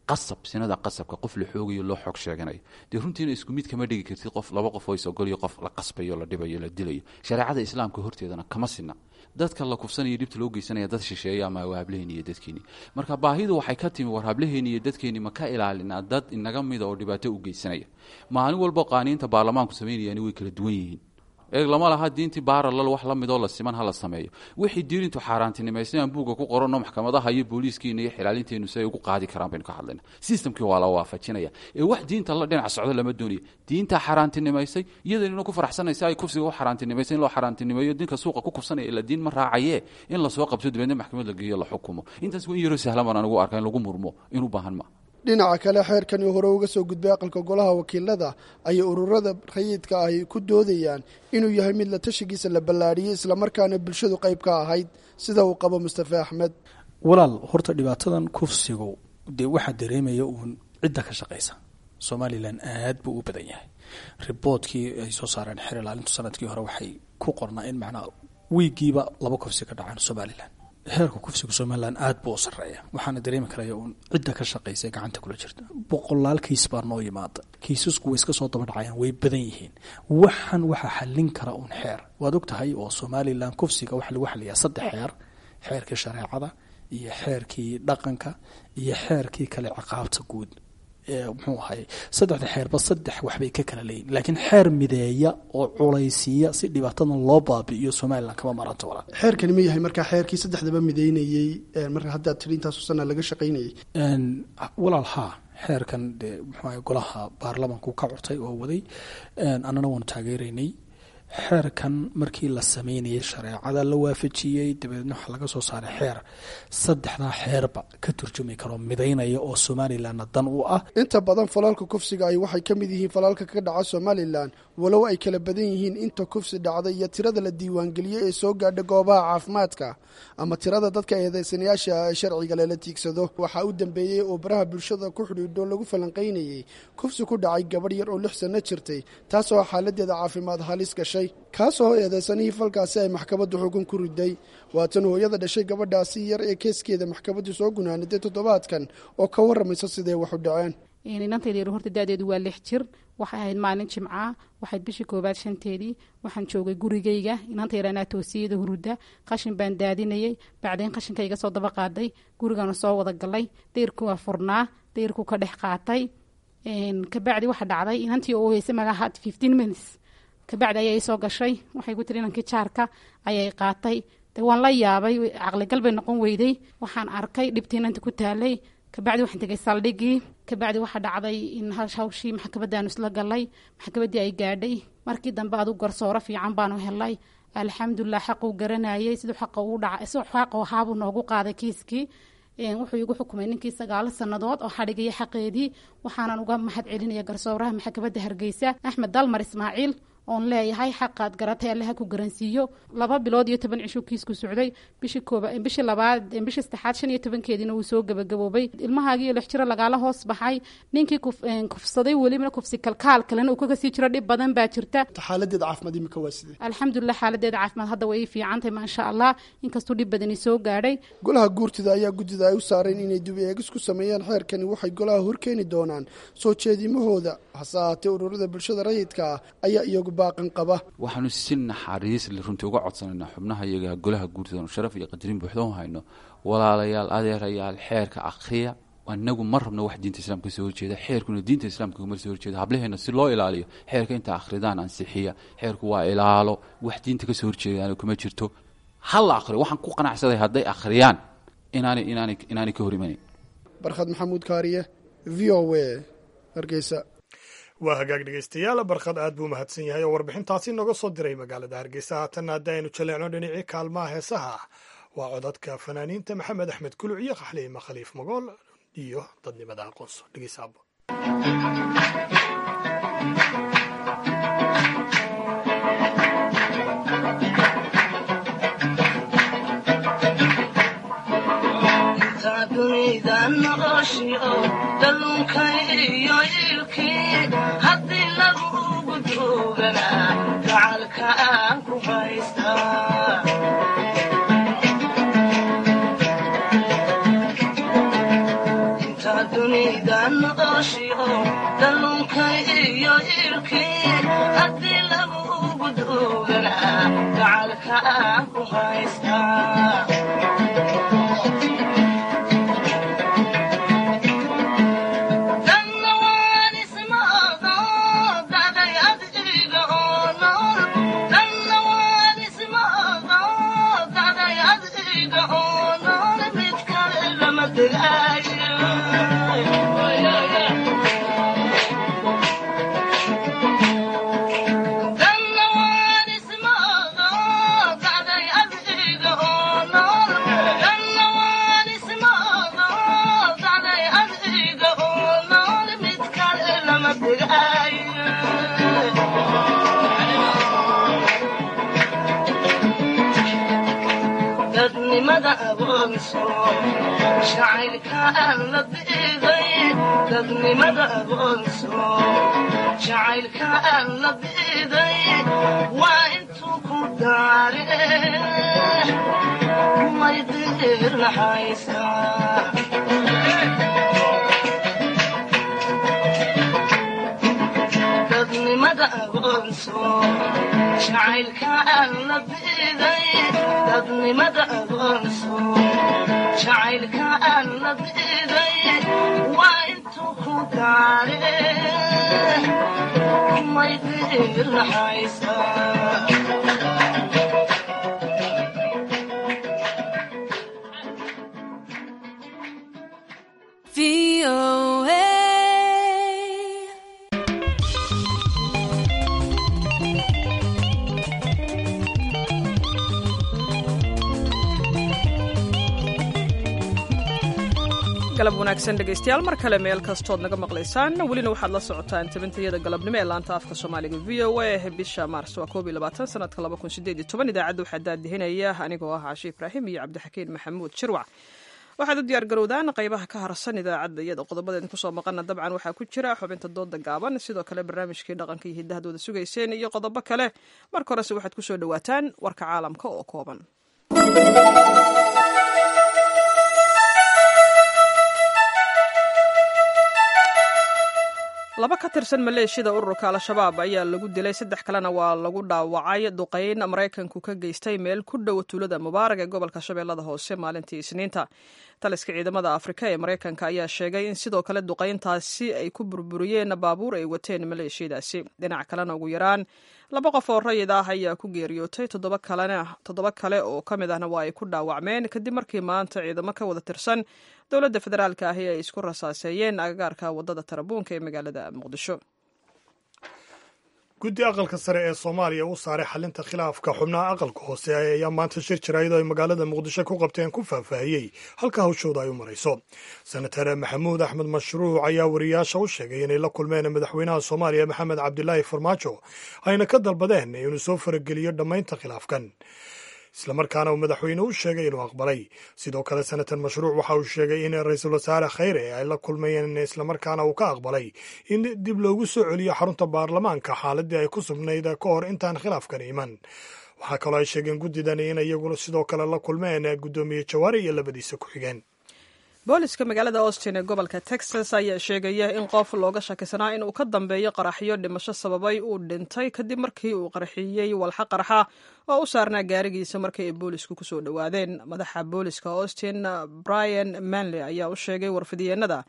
qasab, sinada qasabka, qof la xoogayo, loo xoog sheeganayo. Dee runtiina isku mid kama dhigi kartid qof laba qof oo isogoliyo, qof la qasbayo, la dhibayo, la dilayo. Shareecada islaamka horteedana kama sinna dadka la kufsanaya, dhibta loo geysanaya, dad shisheeya ama waa hablaheeni iyo dadkeeni. Marka baahidu waxay ka timi, war hablaheeni iyo dadkeeni ma ka ilaalinaa dad inaga mida oo dhibaato u geysanaya maalin walba? Qaaniinta baarlamaanku samaynayaani way kala duwan yihiin. Eeg, lama laha diintii baaralal wax la midoo la siman ha la sameeyo. Wixii diinintu xaaraantinimaysay aan buugga ku qoranno, maxkamadaha iyo booliiskiina iyo xilaalinteenu si ay ugu qaadi karaan baynu ka hadlayna. Systemkii waa la waafajinaya ee wax diinta la dhinac socdo lama doonayo. Diinta xaaraantinimaysay iyadaynuna ku faraxsanaysa ay kufsiga u xaaraantinimaysay in loo xaaraantinimeeyo dinka suuqa ku kufsanaya, ila diin ma raacayee, in lasoo qabto, dabeedna maxkamad la geeyo, la xukumo. Intaas waa in yaroo sahlan baan anigu arkaa, in lagu murmo in u baahan ma. Dhinaca kale, xeerkani hore uga soo gudbay aqalka golaha wakiilada ayay ururada rayidka ahi ku doodayaan inuu yahay mid la tashigiisa la ballaadhiyey, islamarkaana bulshadu qayb ka ahayd, sida uu qabo Mustafe Axmed. Walaal, horta dhibaatadan kufsigu dee waxaa dareemaya uun cidda ka shaqaysa. Somalilan aad buu u badan yahay. Riboodkii ay soo saareen xer ilaalintu sanadkii hore waxay ku qornaa in macnaa wiigiiba laba kufsi ka dhacaan Somalilan. Heerka kufsiga Somalilan aad buu u sarreeya, waxaana dareemi karaya uun cidda ka shaqaysa gacanta kula jirta. Boqolaal kiis baa noo yimaada, kiisasku way iska soo daba dhacayaan, way badan yihiin. Waxan waxaa xallin kara uun xeer. Waad og tahay oo Somalilan kufsiga waxaa lagu xaliyaa saddex xeer: xeerkii shareecada iyo xeerkii dhaqanka iyo xeerkii kale ciqaabta guud. Muxuu ahay, saddexda xeerba saddex waxbay ka kala leeyihin, laakiin xeer mideeya oo culaysiiya si dhibaatadan loo baabi'iyo Somaliland kama maranto, walaal. Xeerkani ma yahay markaa xeerkii saddexdaba mideynayey, marka haddaad tiri intaasoo sana laga shaqaynayay? Walaal, haa, xeerkan dee muxuu ahay golaha baarlamanku ka curtay oo waday, annana waanu taageeraynay. Xeerkan markii la sameynayay shareecada la waafajiyey, dabeedna waxaa laga soo saaray xeer saddexdaa xeerba ka turjumi karo, midaynaya oo Somalilandna dan u ah. Inta badan falalka kufsiga ay waxay ka mid yihiin falalka ka dhaca Somalilan, walow ay kala badan yihiin inta kufsi dhacda iyo tirada la diiwaangeliyey ee soo gaadha goobaha caafimaadka ama tirada dadka eedeysanayaasha ee sharciga lala tiigsado. Waxaa u dambeeyey oo baraha bulshada ku xidhiidho lagu falanqaynayey kufsi ku dhacay gabadh yar oo 6 sano jirtay, taasoo xaaladeeda caafimaad halis gashay, kaasoo eedeysanihii falkaasi ay maxkamaddu xukun ku riday. Waatan hooyada dhashay gabadhaasi yar ee keeskeeda maxkamaddu soo gunaaniday toddobaadkan oo ka warramaysa sidee wax u dhaceen. Inantayda yar horta da'deedu waa 6 jir. Waxay ahayd maalin jimcaa, waxayd bishii koowaad 5-teedii. Waxaan joogay gurigayga. Inanta yar anaa toosiyada huruda, qashin baan daadinayay. Bacdeen qashinka iga soo daba qaaday, gurigana soo wada galay. Dayrku waa furnaa, dayrku ka dhex qaatay. Kabacdi waxa dhacday inantii oo heysay magaca 15 minutes kabacdi ayay soo gashay. Waxay ku tiri inankii jaarka ayay qaatay. De waan la yaabay, caqligal bay noqon weyday. Waxaan arkay dhibtii inanta ku taalay. Kabacdi waxaan tegay saldhigii. Kabacdi waxaa dhacday in hawshii maxkamadaanu isla galay, maxkamaddii ay gaadhay. Markii dambe adu garsooro fiican baanu helay, alxamdulilah. Xaquu garanayay, siduu xaqa uu dhaca, siduu xaqa ahaabuu noogu qaaday kiiskii. Wuxuu igu xukumay ninkii 9 sannadood oo xadhigaya xaqeedii. Waxaanan uga mahad celinaya garsooraha maxkamadda Hargeysa, Axmed Dalmar Ismaaciil, oon leeyahay xaqaad garatay Allaha ku garansiiyo. 2 bilood iyo 10 cisho kiisku socday. Bishii kooba, bishii labaad, bishii saddexaad 15-keediina wuu soo gabagaboobay. Ilmahaagii 6 jiro lagaala hoos baxay, ninkii kufsaday, welibana kufsi kalkaal kalena uu kaga sii jiro, dhib badan baa jirta. Xaaladeeda caafimaad imika waa sidee? Alxamdulilah, xaaladeeda caafimaad hadda way ii fiicantahay, maasha Allah, inkastuu dhib badani soo gaadhay. Golaha guurtida ayaa guddida ay u saareen inay dib eegis ku sameeyaan xeerkani waxay golaha horkeeni doonaan soo jeedimahooda. Hase ahaatee ururada bulshada rayidka ah ayaa iyagu baaqan qaba. Waxaanu si naxariis le runtii uga codsanaynaa xubnaha iyaga golaha guurtida, anu sharaf iyo qadarin buuxda u hayno: walaalayaal, adeerayaal, xeerka akhriya. Anagu ma rabno wax diinta islaamka kasoo horjeeda, xeerkuna diinta islaamka kama soo horjeeda. Hablaheena si loo ilaaliyo, xeerka inta akhridaan ansixiya. Xeerku waa ilaalo, wax diinta kasoo horjeedaana kuma jirto. Ha la akhriyo. Waxaan ku qanacsaday hadday akhriyaan inaanay ka hor imanayn. Barkhad Maxamuud Kaariye, VOA, Hargeysa. Waa hagaag, dhegeystayaal. Barkhad aad buu mahadsan yahay oo warbixintaasi nooga soo diray magaalada Hargeysa. Haatanna haddi aynu jaleecno dhinacii kaalmaha heesaha, waa codadka fanaaniinta Maxamed Axmed Kuluc iyo Xaliima Khaliif Magool iyo Dadnimada Aqoonso. Dhegeysaabo. Dalunka iyo ilkii haddii lagugu duuganaa, gacalka aan ku haystaa. Inta dunida noqoshiyo dalunka iyo ilkii haddii lagugu duuganaa, gacalka aan ku haystaa. Dadnimada aqoonso, jacaylka aan la diiday. Dadnimada aqoonso, jacaylka aan la diiday waa intuu ku daare may diirnaxaysaa. Dadnimada aqoonso, jacaylka aan la diiday. Dadnimada aqoonso, jacaylka aan la diiday waa intuu ku Gaare may dirnaxaysaa. Galab wanaagsan dhegaystayaal, mar kale meel kastood naga maqlaysaan. Welina waxaad la socotaan tabintayada galabnimo ee laanta afka Soomaaliga VOA. Bisha Maars waa 21 sanadka 2018. Idaacadda waxaa daadihinaya anigoo ah Caashi Ibraahim iyo Cabdixakiin Maxamuud Shirwac. Waxaad u diyaar garowdaan qaybaha ka harsan idaacadda, iyada qodobada idinku soo maqana dabcan waxaa ku jira xubinta dooda gaaban, sidoo kale barnaamijkii dhaqanka iyo hiddahadooda sugayseen iyo qodobo kale. Marka horese waxaad kusoo dhawaataan warka caalamka oo kooban. Laba ka tirsan maleeshiyada ururka Al-Shabaab ayaa lagu dilay, saddex kalena waa lagu dhaawacay duqeyn Maraykanku ka geystay meel ku dhow tuulada Mubaarag ee gobolka Shabeellada Hoose maalintii Isniinta. Taliska ciidamada Afrika ee Maraykanka ayaa sheegay in sidoo kale duqeyntaasi ay ku burburiyeen baabuur ay wateen maleeshiyadaasi. Dhinac kalena, ugu yaraan laba qof oo rayid ah ayaa ku geeriyootay, toddoba kale oo ka mid ahna waa ay ku dhaawacmeen kadib markii maanta ciidamo ka wada tirsan dowladda federaalka ahi ay isku rasaaseeyeen agagaarka waddada Tarabuunka ee magaalada Muqdisho. Guddi aqalka sare ee Soomaaliya u saaray xalinta khilaafka xubnaha aqalka hoose ayaa maanta shir jaraa'id ay magaalada Muqdisho ku qabteen ku faahfaahiyey halka hawshooda ay u marayso. Senatar Maxamuud Axmed Mashruuc ayaa wariyaasha u sheegay inay la kulmeen madaxweynaha Soomaaliya Maxamed Cabdilaahi Farmaajo, ayna ka dalbadeen inuu soo farageliyo dhammaynta khilaafkan, islamarkaana uu madaxweyne u sheegay inuu aqbalay. Sidoo kale, senatar Mashruuc waxa uu sheegay in ra-iisul wasaare Khayre ay la kulmayeen, islamarkaana uu ka aqbalay in dib loogu soo celiyo xarunta baarlamaanka xaaladii ay ku sugnayd ka hor intaan khilaafkan iman. Waxaa kaloo ay sheegeen guddidani in iyaguna sidoo kale la kulmeen guddoomiye Jawaari iyo labadiisa ku-xigeen. Booliska magaalada Austin ee gobolka Texas ayaa sheegaya in qof looga shakisanaa inuu ka dambeeyo qaraxyo dhimasho sababay uu dhintay kadib markii uu qarxiyey walxa qarxa oo u saarnaa gaarigiisa markii ay boolisku kusoo dhowaadeen. Madaxa booliska Austin, Brian Manley, ayaa u sheegay warfidyeennada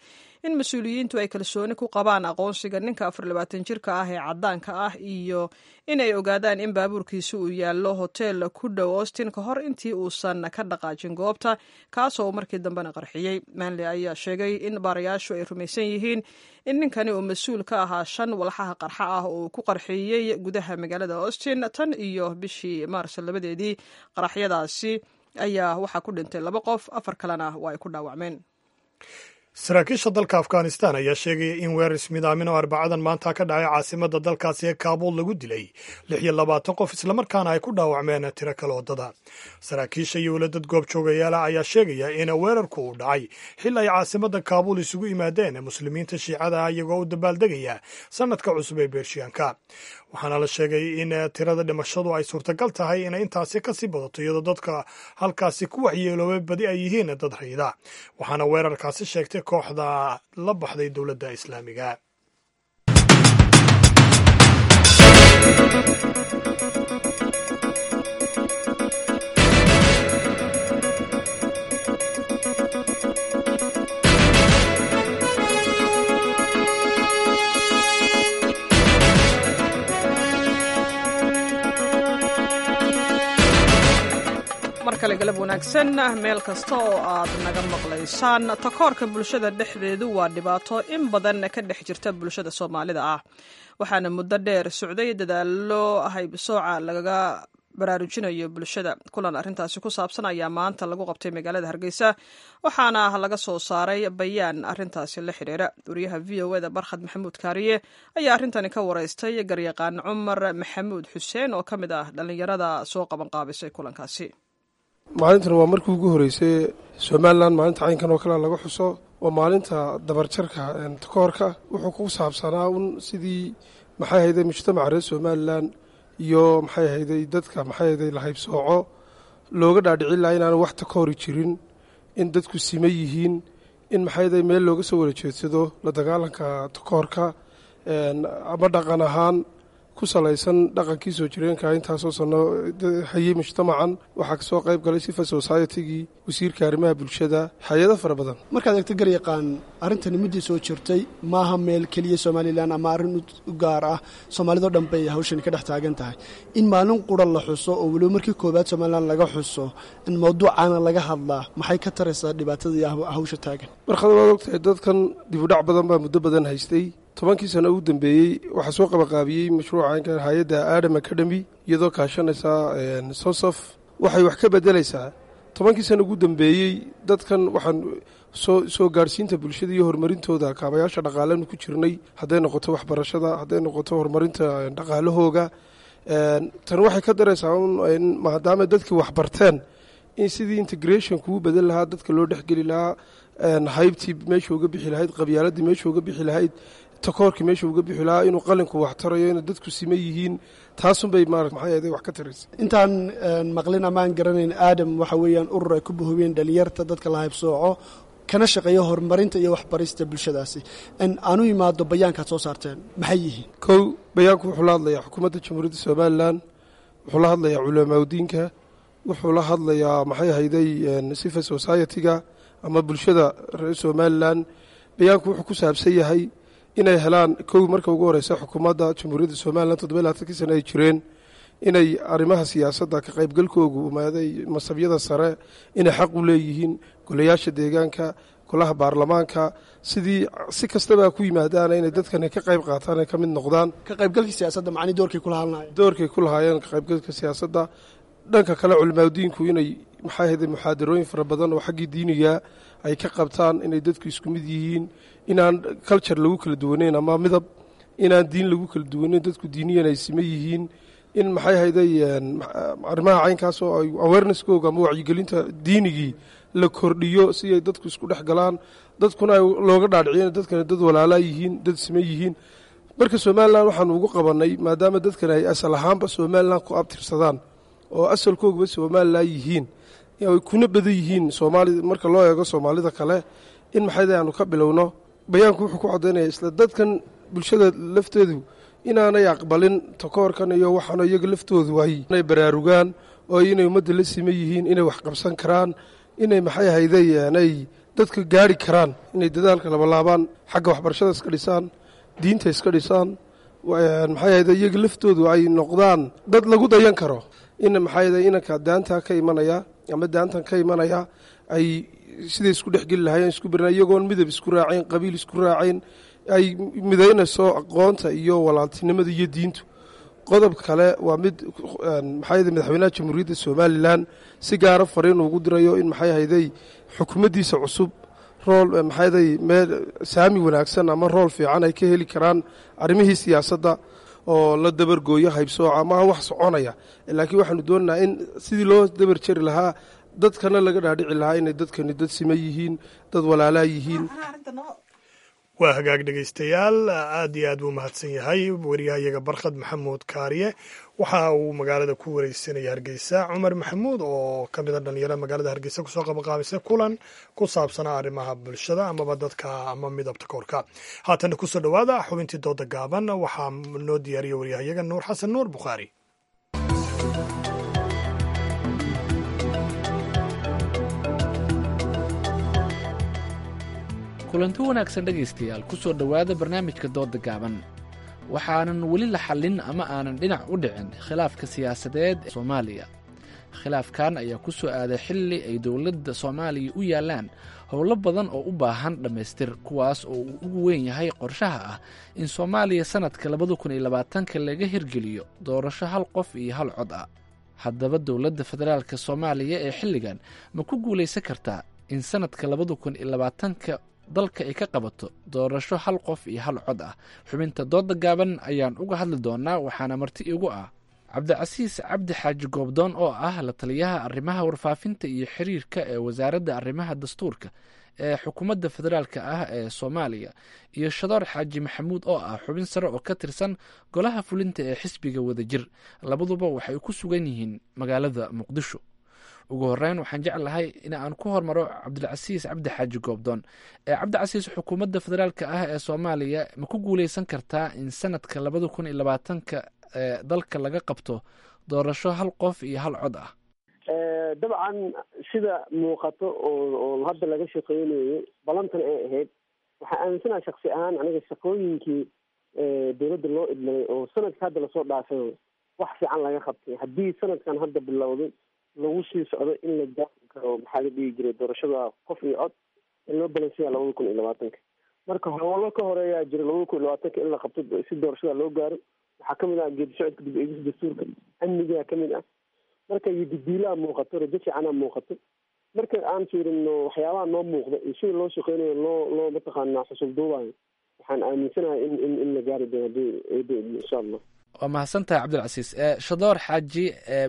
in mas-uuliyiintu ay kalsooni ku qabaan aqoonsiga ninka 24 jirka ah ee caddaanka ah iyo in ay ogaadaan in baabuurkiisa uu yaallo hotel ku dhow Austin ka hor intii uusan ka dhaqaajin goobta, kaasoo markii dambena qarxiyey. Manley ayaa sheegay in baarayaashu ay rumaysan yihiin in ninkani uu mas-uul ka ahaa shan walxaha qarxa ah oo uu ku qarxiyey gudaha magaalada Austin tan iyo bishii Maars 2deedii. Qaraxyadaasi ayaa waxaa ku dhintay laba qof, afar kalena waa ay ku dhaawacmeen. Saraakiisha dalka Afghanistan ayaa sheegaya in weerar ismidaamin oo Arbacadan maanta ka dhacay caasimada dalkaasi ee Kaabuul lagu dilay 26 qof, islamarkaana ay ku dhaawacmeen tiro kale waddada. Saraakiisha iyo weli dad goob joogayaala ayaa sheegaya in weerarku uu dhacay xil ay caasimada Kaabuul isugu yimaadeen muslimiinta Shiicada ah, iyagoo u dabaaldegaya sanadka cusub ee Beershiyanka. Waxaana la sheegay in tirada dhimashadu ay suurtagal tahay inay intaasi kasii badato, iyadoo dadka halkaasi ku waxyeeloobay badi ay yihiin dad rayida. Waxaana weerarkaasi sheegtay kooxda la baxday Dowladda Islaamiga. Mar kale galab wanaagsan meel kasta oo aad naga maqlaysaan. Takoorka bulshada dhexdeedu waa dhibaato in badan ka dhex jirta bulshada Soomaalida ah, waxaana muddo dheer socday dadaallo haybsooca lagaga baraarujinayo bulshada. Kulan arrintaasi ku saabsan ayaa maanta lagu qabtay magaalada Hargeysa, waxaana laga soo saaray bayaan arrintaasi la xidhiira. Wariyaha VOA da Barkhad Maxamuud Kaariye ayaa arrintani ka wareystay garyaqaan Cumar Maxamuud Xuseen oo ka mid ah dhallinyarada soo qabanqaabisay kulankaasi. Maalintan waa markii ugu horreysay Somalilan maalinta caynkan oo kale laga xuso, waa maalinta dabarjarka takoorka. Wuxuu ku saabsanaa un sidii maxay hayday mujtamaca reer Somalilan iyo maxay hayday dadka maxay hayday la haybsooco looga dhaadhicin laha inaanu wax takoori jirin, in dadku sima yihiin, in maxay hayday meel looga soo wada jeedsado la dagaalanka takoorka, ama dhaqan ahaan ku salaysan dhaqankii soo jireenka intaasoo sano hayey mujtamacan. Waxaa kasoo qayb galay civil society-gii, wasiirka arrimaha bulshada, hay-ado fara badan. Markaad eegto garyaqaan, arrintani muddii soo jirtay, maaha meel keliya Somalilan ama arrin u gaar ah, soomaalidoo dhan bay hawshani ka dhex taagan tahay. In maalin qura la xuso oo weliba markii koowaad Somalilan laga xuso, in mawduucaana laga hadlaa, maxay ka taraysaa dhibaatada iyo hawsha taagan? Markada waad ogtahay, dadkan dibudhac badan baa muddo badan haystay. 10kii sano ugu dambeeyey waxaa soo qabaqaabiyey mashruuca hay-adda Adam Academy iyadoo kaashanaysa Sosof. Waxay wax ka bedelaysaa 10kii sano ugu dambeeyey dadkan waxaan soo gaadhsiinta bulshada iyo horumarintooda kaabayaasha dhaqaalenu ku jirnay, hadday noqoto waxbarashada, hadday noqoto horumarinta dhaqaalahooga. Tan waxay ka daraysaa in maadaama dadkii waxbarteen, in sidii integration kuu bedel lahaa, dadka loo dhexgeli lahaa, haybtii meesha uga bixi lahayd, qabyaaladii meesha uga bixi lahayd, takoorkii meesha uga bixi lahaa, inuu qalinku wax tarayo, inay dadku siman yihiin, taasunbay maarata maxay ahayd wax ka taraysa. Intaan maqlin amaan garanayn, Aadam waxa weeyaan urur ay ku buhubeen dhalinyarta dadka la haybsooco, kana shaqeeya horumarinta iyo waxbarista bulshadaasi. Aanu imaado bayaankaad soo saarteen, maxay yihiin? Kow, bayaanku wuxuu la hadlayaa xukuumadda Jamhuuriyadda Somalilan, wuxuu la hadlayaa culamaaudiinka, wuxuu la hadlayaa maxay ahayday civil society-ga ama bulshada reer Somalilan. Bayaanku wuxuu ku saabsan yahay inay helaan, kow, marka ugu horeysa xukuumadda Jamhuuriyadda Somalilan 27kii sano ay jireen, inay arrimaha siyaasadda ka qaybgalkoogu umaaday masabyada sare inay xaq u leeyihiin, golayaasha deegaanka, golaha baarlamaanka, sidii si kastaba ku yimaadaana inay dadkani ka qayb qaataan, ay ka mid noqdaan. Ka qaybgalkii siyaasadda macni doorkay kula hadlaayeen. Doorkay ku lahaayeen ka qaybgalka siyaasadda. Dhanka kale, culimaadudiinku inay maxay ahayday muxaadarooyin fara badan oo xaggii diiniga ay ka qabtaan, inay dadku isku mid yihiin, inaan culture lagu kala duwaneyn ama midab, inaan diin lagu kala duwaneyn, dadku diiniyan ay sima yihiin, in maxay ahayday arrimaha caynkaas oo ay awareness-kooga ama wacyigelinta diinigii la kordhiyo, si ay dadku isku dhex galaan, dadkuna ay looga dhaadhiciyo in dadkani dad walaalaa yihiin, dad sima yihiin. Marka Somalilan waxaanu ugu qabannay, maadaama dadkan ay asal ahaanba Somalilan ku abtirsadaan oo asalkoogaba Somalilan yihiin, ay kuna badan yihiin Soomaali marka loo eego Soomaalida kale, in maxayda aanu ka bilowno. Bayaanku wuxuu ku caddaynaya isla dadkan bulshada lafteedu inaanay aqbalin takoorkan iyo waxaana, iyaga laftoodu ay inay baraarugaan oo inay ummadda la siman yihiin, inay wax qabsan karaan, inay maxay ahayday ay dadka gaari karaan, inay dadaalka labalaabaan, xagga waxbarashada iska dhisaan, diinta iska dhisaan, maxay ahayday iyaga laftoodu ay noqdaan dad lagu dayan karo, in maxay ahayday inanka daantaa ka imanaya ama daantan ka imanaya ay siday isku dhexgeli lahaayeen, isku berna, iyagoon midab isku raacayn, qabiil isku raacayn, ay midaynayso aqoonta iyo walaaltinimada iyo diintu. Qodob kale waa mid maxay ahayday madaxweynaha Jamhuuriyadda Somalilan si gaara fariin ugu dirayo in maxay ahayday xukuumaddiisa cusub role maxay ahayday meel saami wanaagsan ama role fiican ay ka heli karaan arrimihii siyaasadda oo la dabargooyo haybsooca. Maaha wax soconaya, laakiin waxaanu doonaynaa in sidii loo dabar jari lahaa, dadkana laga dhaadhici lahaa inay dadkani dad sima yihiin, dad walaalaa yihiin. Waa hagaag, dhegaystayaal, aad iyo aad buu mahadsan yahay wariyahayaga Barkhad Maxamuud Kaariye. Waxa uu magaalada ku wareysanaya Hargeysa Cumar Maxamuud oo ka mid a dhalinyarada magaalada Hargeysa kusoo qabaqaabisay kulan ku saabsanaa arrimaha bulshada amaba dadka ama midabta koorka. Haatana kusoo dhowaada xubintii dooda gaaban. Waxaa noo diyaariyay waryahayaga Nuur Xasan Nuur Bukhaari. Kulanti wanaagsan, dhegaystayaal, ku soo dhowaada barnaamijka dooda gaaban. Waxaanan weli la xallin ama aanan dhinac u dhicin khilaafka siyaasadeed ee Soomaaliya. Khilaafkan ayaa ku soo aaday xilli ay dowladda Soomaaliya u yaallaan howlo badan oo u baahan dhammaystir, kuwaas oo uu ugu weyn yahay qorshaha ah in Soomaaliya sannadka 2020ka laga hirgeliyo doorasho hal qof iyo hal cod ah. Haddaba, dowladda federaalka Soomaaliya ee xilligan ma ku guulaysan kartaa in sannadka 2020ka dalka ay ka qabato doorasho hal qof iyo hal cod ah? Xubinta dooda gaaban ayaan uga hadli doonaa, waxaana marti igu ah Cabdicasiis Cabdi Xaaji Goobdoon oo ah la taliyaha arrimaha warfaafinta iyo xiriirka ee wasaaradda arrimaha dastuurka ee xukuumadda federaalka ah ee Soomaaliya, iyo Shadoor Xaaji Maxamuud oo ah xubin sare oo ka tirsan golaha fulinta ee xisbiga Wadajir. Labaduba waxay ku sugan yihiin magaalada Muqdisho. Ugu horeyn, waxaan jeclahay in aan ku hormaro Cabdilcasiis Cabdi Xaaji Goobdoon. Ee Cabdicasiis, xukuumadda federaalka ah ee Soomaaliya ma ku guuleysan kartaa in sanadka 2020ka dalka laga qabto doorasho hal qof iyo hal cod ah? Dabcan, sida muuqato oo hadda laga shaqeynayo balantan ay ahayd, waxaa aaminsanaha shaksi ahaan aniga shaqooyinkii dowladda loo idmay oo sanadka hadda lasoo dhaafay wax fiican laga qabtay, haddii sanadkan hadda bilowday lagu sii socdo, in la gaari karo, maxaa la dhihi jiray, doorashada qof iyo cod in loo balansiya 2020-ka. Marka howlo ka horeeyaa jira 2020-ka in la qabto si doorashada loo gaaro. Waxaa kamid ah geedi socodka dib eegista dastuurka, amnigaa kamid ah. Marka yididiilaa muuqato, rajo fiicanaa muuqato. Marka aan fiirino waxyaabaha noo muuqda iyo sida loo shaqeynayo, loo mataqaanaa xusul duubayo, waxaan aaminsanahay in la gaari doono hadii eeda idmo, insha Allah. Waa mahadsantahay, Cabdilcasiis. Shadoor Xaaji,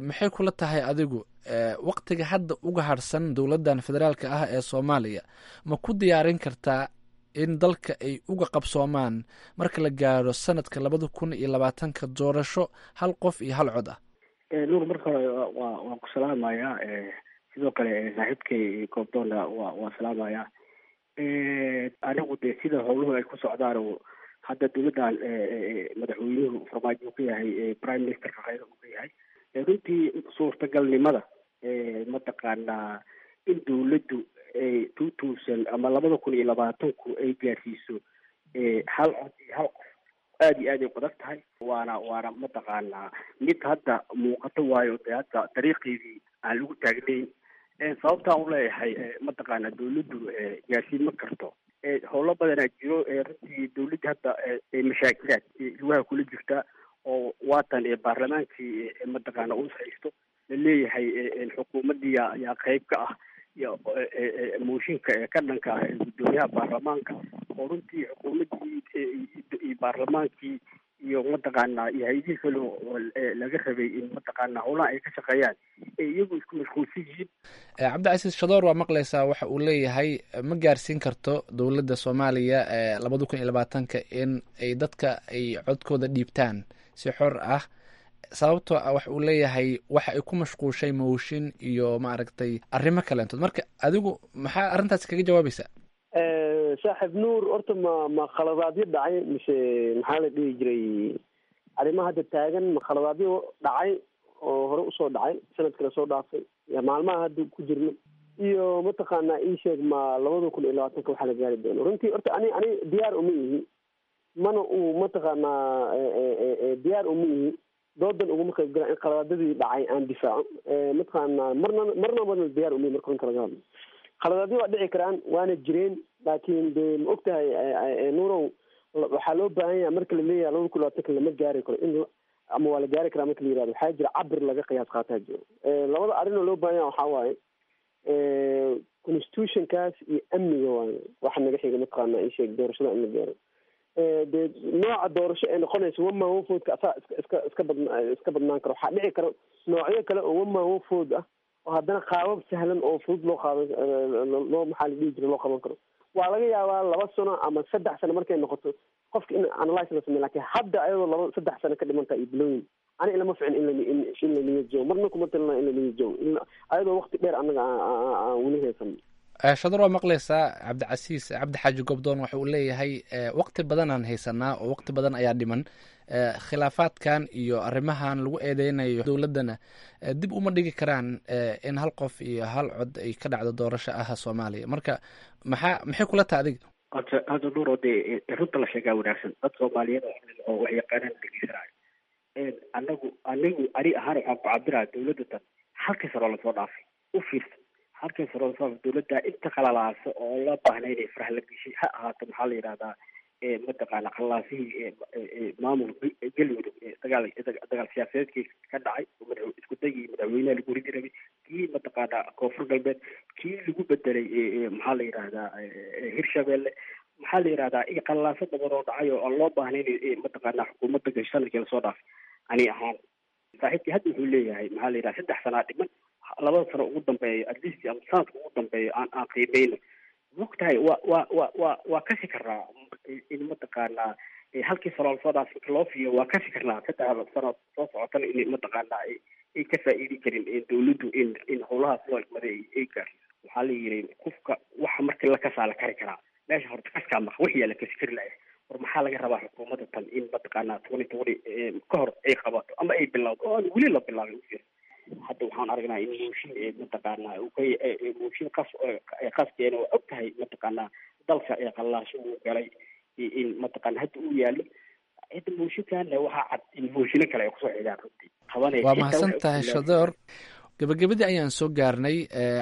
maxay kula tahay adigu waktiga hadda uga harsan dowladdan federaalka ah ee Soomaaliya ma ku diyaarin kartaa in dalka ay uga qabsoomaan marka la gaaro sanadka 2020-ka doorasho hal qof iyo hal cod ah? Nuur, marka hore waan ku salaamayaa. Sidoo kale saaxiibkay Goobdoonna waa salaamayaa. Anigu dee sida howluhu ay ku socdaan oo hadda dowladdan madaxweynuhu Farmaajo uu ka yahay prime ministerka, khayra uu ka yahay, runtii suurtagalnimada mataqaanaa in dowladdu ay 2000 ama 2020-ku ay gaarsiiso hal cod iyo hal qof aada iyo aad ay u adag tahay. Waana mataqaanaa mid hadda muuqato, waayo dee hadda dariiqeedii aan lagu taagnayn. Sababtaan u leeyahay mataqaanaa dowladdu gaarsiin ma karto, howlo badanaa jiro. Runtii dowladda hadda mashaakilaad lugaha kula jirta oo waatan baarlamaankii mataqaana uu haysto, la leeyahay xukuumaddii yaa qayb ka ah iyo mooshinka ee ka dhanka ah guddoomiyaha baarlamaanka, oo runtii xukuumaddii iyo baarlamaankii iyo mataqaanaa iyo hay-adihii kale oo laga rabay in mataqaanaa howlaha ay ka shaqeeyaan ee iyagu isku mashquulsan yihiin. Cabdicasiis Shadoor, waa maqlaysaa waxa uu leeyahay: ma gaarsiin karto dowladda Soomaaliya 2020-ka in ay dadka ay codkooda dhiibtaan si xor ah, sababtoo ah waxa uu leeyahay waxa ay ku mashquushay mooshin iyo maaragtay arrimo kaleentood. Marka adigu maxaa arrintaasi kaga jawaabaysaa? Saaxiib Nuur, horta ma khaladaadyo dhacay mise, maxaa la dhihi jiray, arrimaha hadda taagan, ma khaladaadyo dhacay oo hore usoo dhacay sanadka lasoo dhaafay iyo maalmaha hadda ku jirno iyo mataqaanaa ii sheeg, ma 2020-ka waxaa la gaari doono? Runtii horta ani diyaar uma ihi, mana uu mataqaanaa diyaar uma ihi, doodan uguma qayb gala in khaladaadadii dhacay aan difaaco. Mataqaanaa marna diyaar uma ihi. Marka runta laga hadlo, khaladaadyo waa dhici karaan, waana jireen, laakiin dee ma og tahay Nuurow, waxaa loo baahan yahay marka la leeyahay 2020-ka lama gaari karo in ama waa la gaari karaa marka la yirahdo, waxaa jira cabir laga qiyaas qaataa jiro. Labada arrin oo loo baahan yahay waxaa waaye constitutionkaas iyo amniga, waaye waxa naga xiga mataqaanaa ii sheeg doorashada in la gaaro. Dee nooca doorasho ee noqonaysa one man one vote-ka asaa iska badnaan karo. Waxaa dhici karo noocyo kale oo one man one vote ah oo haddana qaabab sahlan oo fudud loo qaadan, loo, maxaa la dhihi jira, loo qaban karo. Waa laga yaabaa 2 sano ama 3 sano markay noqoto qofka in analyse la sameyo, lakin hadda ayadoo 2 3 sano ka dhiman tahay iyo bilooyin, ani ilama ficin in la niyad jabo. Marna kuma talina in la niyad jabo ayadoo waqti dheer annaga aan weli haysan. Shadar, waa maqlaysaa Cabdicasiis Cabdi Xaaji Goobdoon waxa uu leeyahay waqti badanaan haysanaa oo waqti badan ayaa dhiman, khilaafaadkan iyo arrimahan lagu eedeynayo dowladdana dib uma dhigi karaan in hal qof iyo hal cod ay ka dhacdo doorasho ah Soomaaliya. Marka maxay kula tahay adiga? Hadda Nuur, oo dee runta la sheegaa wanaagsan, dad Soomaaliyeed oo wax yaqaanaan dhegeysanaayo. Anigu ani ahaan waxaan ku cabirayaa dowladda tan halkii sano lasoo dhaafay u fiirsa, halkii sano lasoo dhaafay dowladda inta qalalaasa oo loo baahnay inay faraha la geshay ha ahaato, maxaa la yidhahdaa, mataqaana qalaasihii maamulka Galmudug, dagaal siyaasadeedkii ka dhacay, isku dagii madaxweynaha lagu ridi rabay, kii mataqaana Koonfur Galbeed, kii lagu bedelay, maxaa la yidhahdaa, Hirshabeelle, maxaa la yidhahdaa, iyo qalaaso badan oo dhacay oo aan loo baahnayn mataqaana xukuumadda gashay sanadkii lasoo dhaafay. Ani ahaan saaxiibkii hadda wuxuu leeyahay, maxaa la yidhaha, 3 sanaa dhiman, labada sano ugu dambeeyo at least ama sanadka ugu dambeeyo aan qiimeyno. Mogtahay, waa kasi karnaa in mataqaanaa halkii sano lasoo dhaafay inka loo fiiyo, waa kasi karnaa 3 sano soo socotana in mataqaanaa ay ka faa'iidi karin dowladdu in howlahaas loo igmaday ay gaarsiiso. Waxaa la yidhi qofka waxa markii la kasaa la kari karaa, meesha horta kaskaa maqa wixii yaa la kasi kari lahay. War maxaa laga rabaa xukuumadda tan in mataqaanaa 2020 ka hor ay qabato ama ay bilowdo oo aan weli la bilaabin u hadda waxaan aragnaa in mooshin mataqaanaa mooshin qas qaskeena oo og tahay mataqaanaa dalka ee qallaasho uu galay in mataqaana hadda uu yaallo cidda mooshinkaana waxaa cad in mooshino kale ay kusoo xigaan runtii qabanaya. Waa mahadsan tahay Shadoor. Gabagabadii ayaan soo gaarnay.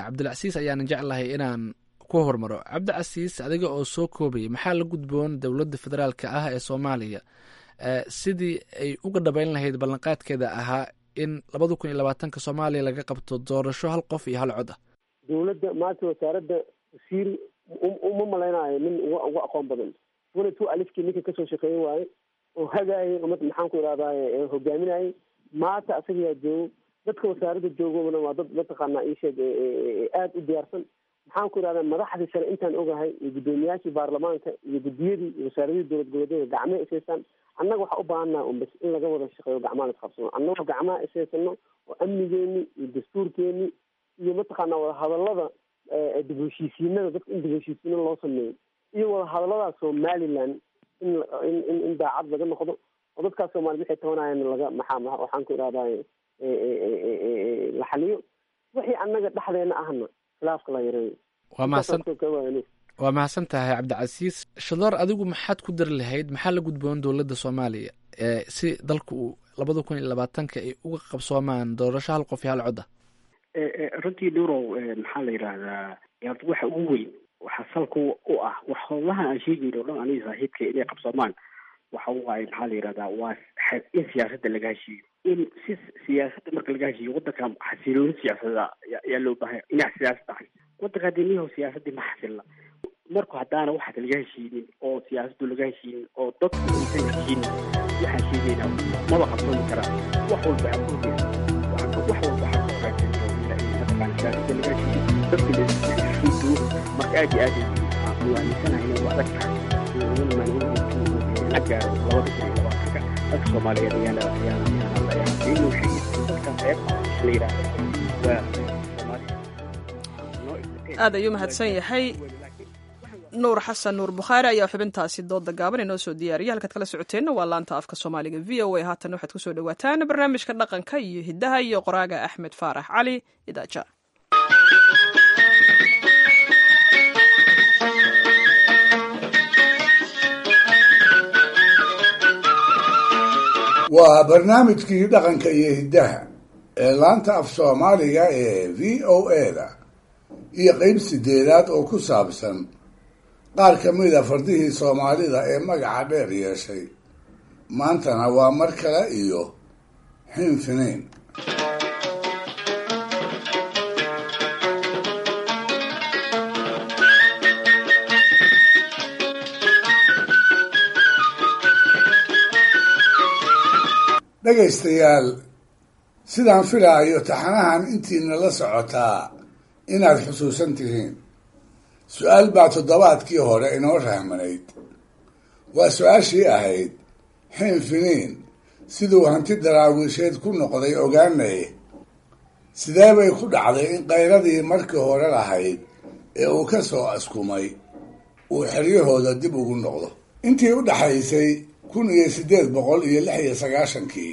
Cabdilcasiis ayaanan jeclahay inaan ku hormaro. Cabdicasiis, adiga oo soo koobaya, maxaa la gudboon dowladda federaalka ah ee Soomaaliya sidii ay uga dhabeyn lahayd ballanqaadkeeda ahaa in 2020-ka Soomaaliya laga qabto doorasho hal qof iyo hal cod ah? Dowladda maanta wasaaradda wasiir uma malaynayo nin uga aqoon badan 22-kii ninka kasoo shaqeeye waaye oo hagaayay ummad, maxaan ku idhahdaye, hogaaminayay. Maanta asaga yaa joogo, dadka wasaaradda joogobana waa dad mataqaanaa iisheeg aada u diyaarsan, maxaan ku idhahdaa, madaxdii sare intaan ogahay iyo guddoomiyaashii baarlamaanka iyo guddiyadii iyo wasaaradihii dowlad goboleedyada gacmaha ishaystaan. Annaga waxaa u baahannaha un bas in laga wada shaqeeyo, gacmaha la isqabsano, annagoo gacmaha ishaysano oo amnigeeni iyo dastuurkeeni iyo mataqaanaa wadahadalada dib heshiisiinada dadka in dib heshiisiino loo sameeyo iyo wadahadalada Somaliland in daacad laga noqdo oo dadkaas Soomaaliyed waxay tabanayaan laga maxaa waxaan ku idhahdaa la xaliyo, wixii annaga dhexdeena ahna khilaafka la yareeyo. Waa mahadsan tahay Cabdicasiis. Shadoor, adigu maxaad ku dari lahayd? Maxaa la gudboon dowladda Soomaaliya si dalka uu 2020-ka ay uga qabsoomaan doorasho hal qof iyo hal cod ah? Runtii Nurow, maxaa la yidhaahdaa, horta waxa ugu weyn waxaa salka u ah wax howlaha aan sheegayno o dhan aniga saaxiibka inay qabsoomaan waxa waaye, maxaa la yidhahdaa, waa in siyaasadda laga heshiiyo. In si siyaasadda marka laga heshiiyo waddanka xasilooni siyaasadda yaa loo baahanya dhinac siyaasadda waddanka hadii niyahow siyaasaddii ma xasilla. Marku haddaana waxaas laga heshiinin oo siyaasaddu laga heshiinin oo dadku aysan heshiinin, waxaan sheegaynaa maba qabsoomi karaan. Wax walba waxaa ku horeysa, wax walba waxaa ka horeysa mataqaana siyaasadda laga heshiiyo, dadka la isu duwo. Marka aad iyo aad u aaminsanahay inay u adag tahay la gaaro 2020-ka. Dadka Soomaaliyeed ayaana inuu sheegay dadkan reeb la yidhaahdo waa Aad ayuu mahadsan yahay Nuur Xasan Nuur Bukhaari ayaa xubintaasi dooda gaaban inoo soo diyaariyay. Halkaad kala socoteenna waa laanta afka Soomaaliga VOA. Haatan waxaad kusoo dhawaataan barnaamijka dhaqanka iyo hiddaha iyo qoraaga Axmed Faarax Cali Idaaja. Waa barnaamijkii dhaqanka iyo hiddaha ee laanta af Soomaaliga ee VOA-da iyo qeyb sideedaad oo ku saabsan qaar ka mida fardihii Soomaalida ee magaca dheer yeeshay. Maantana waa mar kale iyo Xinfiniin. Dhegaystayaal, sidaan filaayo taxanahan intiina la socotaa inaad xusuusan tihiin, su-aal baa toddobaadkii hore inoo rahmanayd. Waa su-aashii ahayd: Xinfiniin siduu hanti daraawiisheed ku noqday ogaanaye, sidee bay ku dhacday in qayradii markii hore lahayd ee uu ka soo askumay uu xeryahooda dib ugu noqdo? Intii u dhaxaysay 1896-kii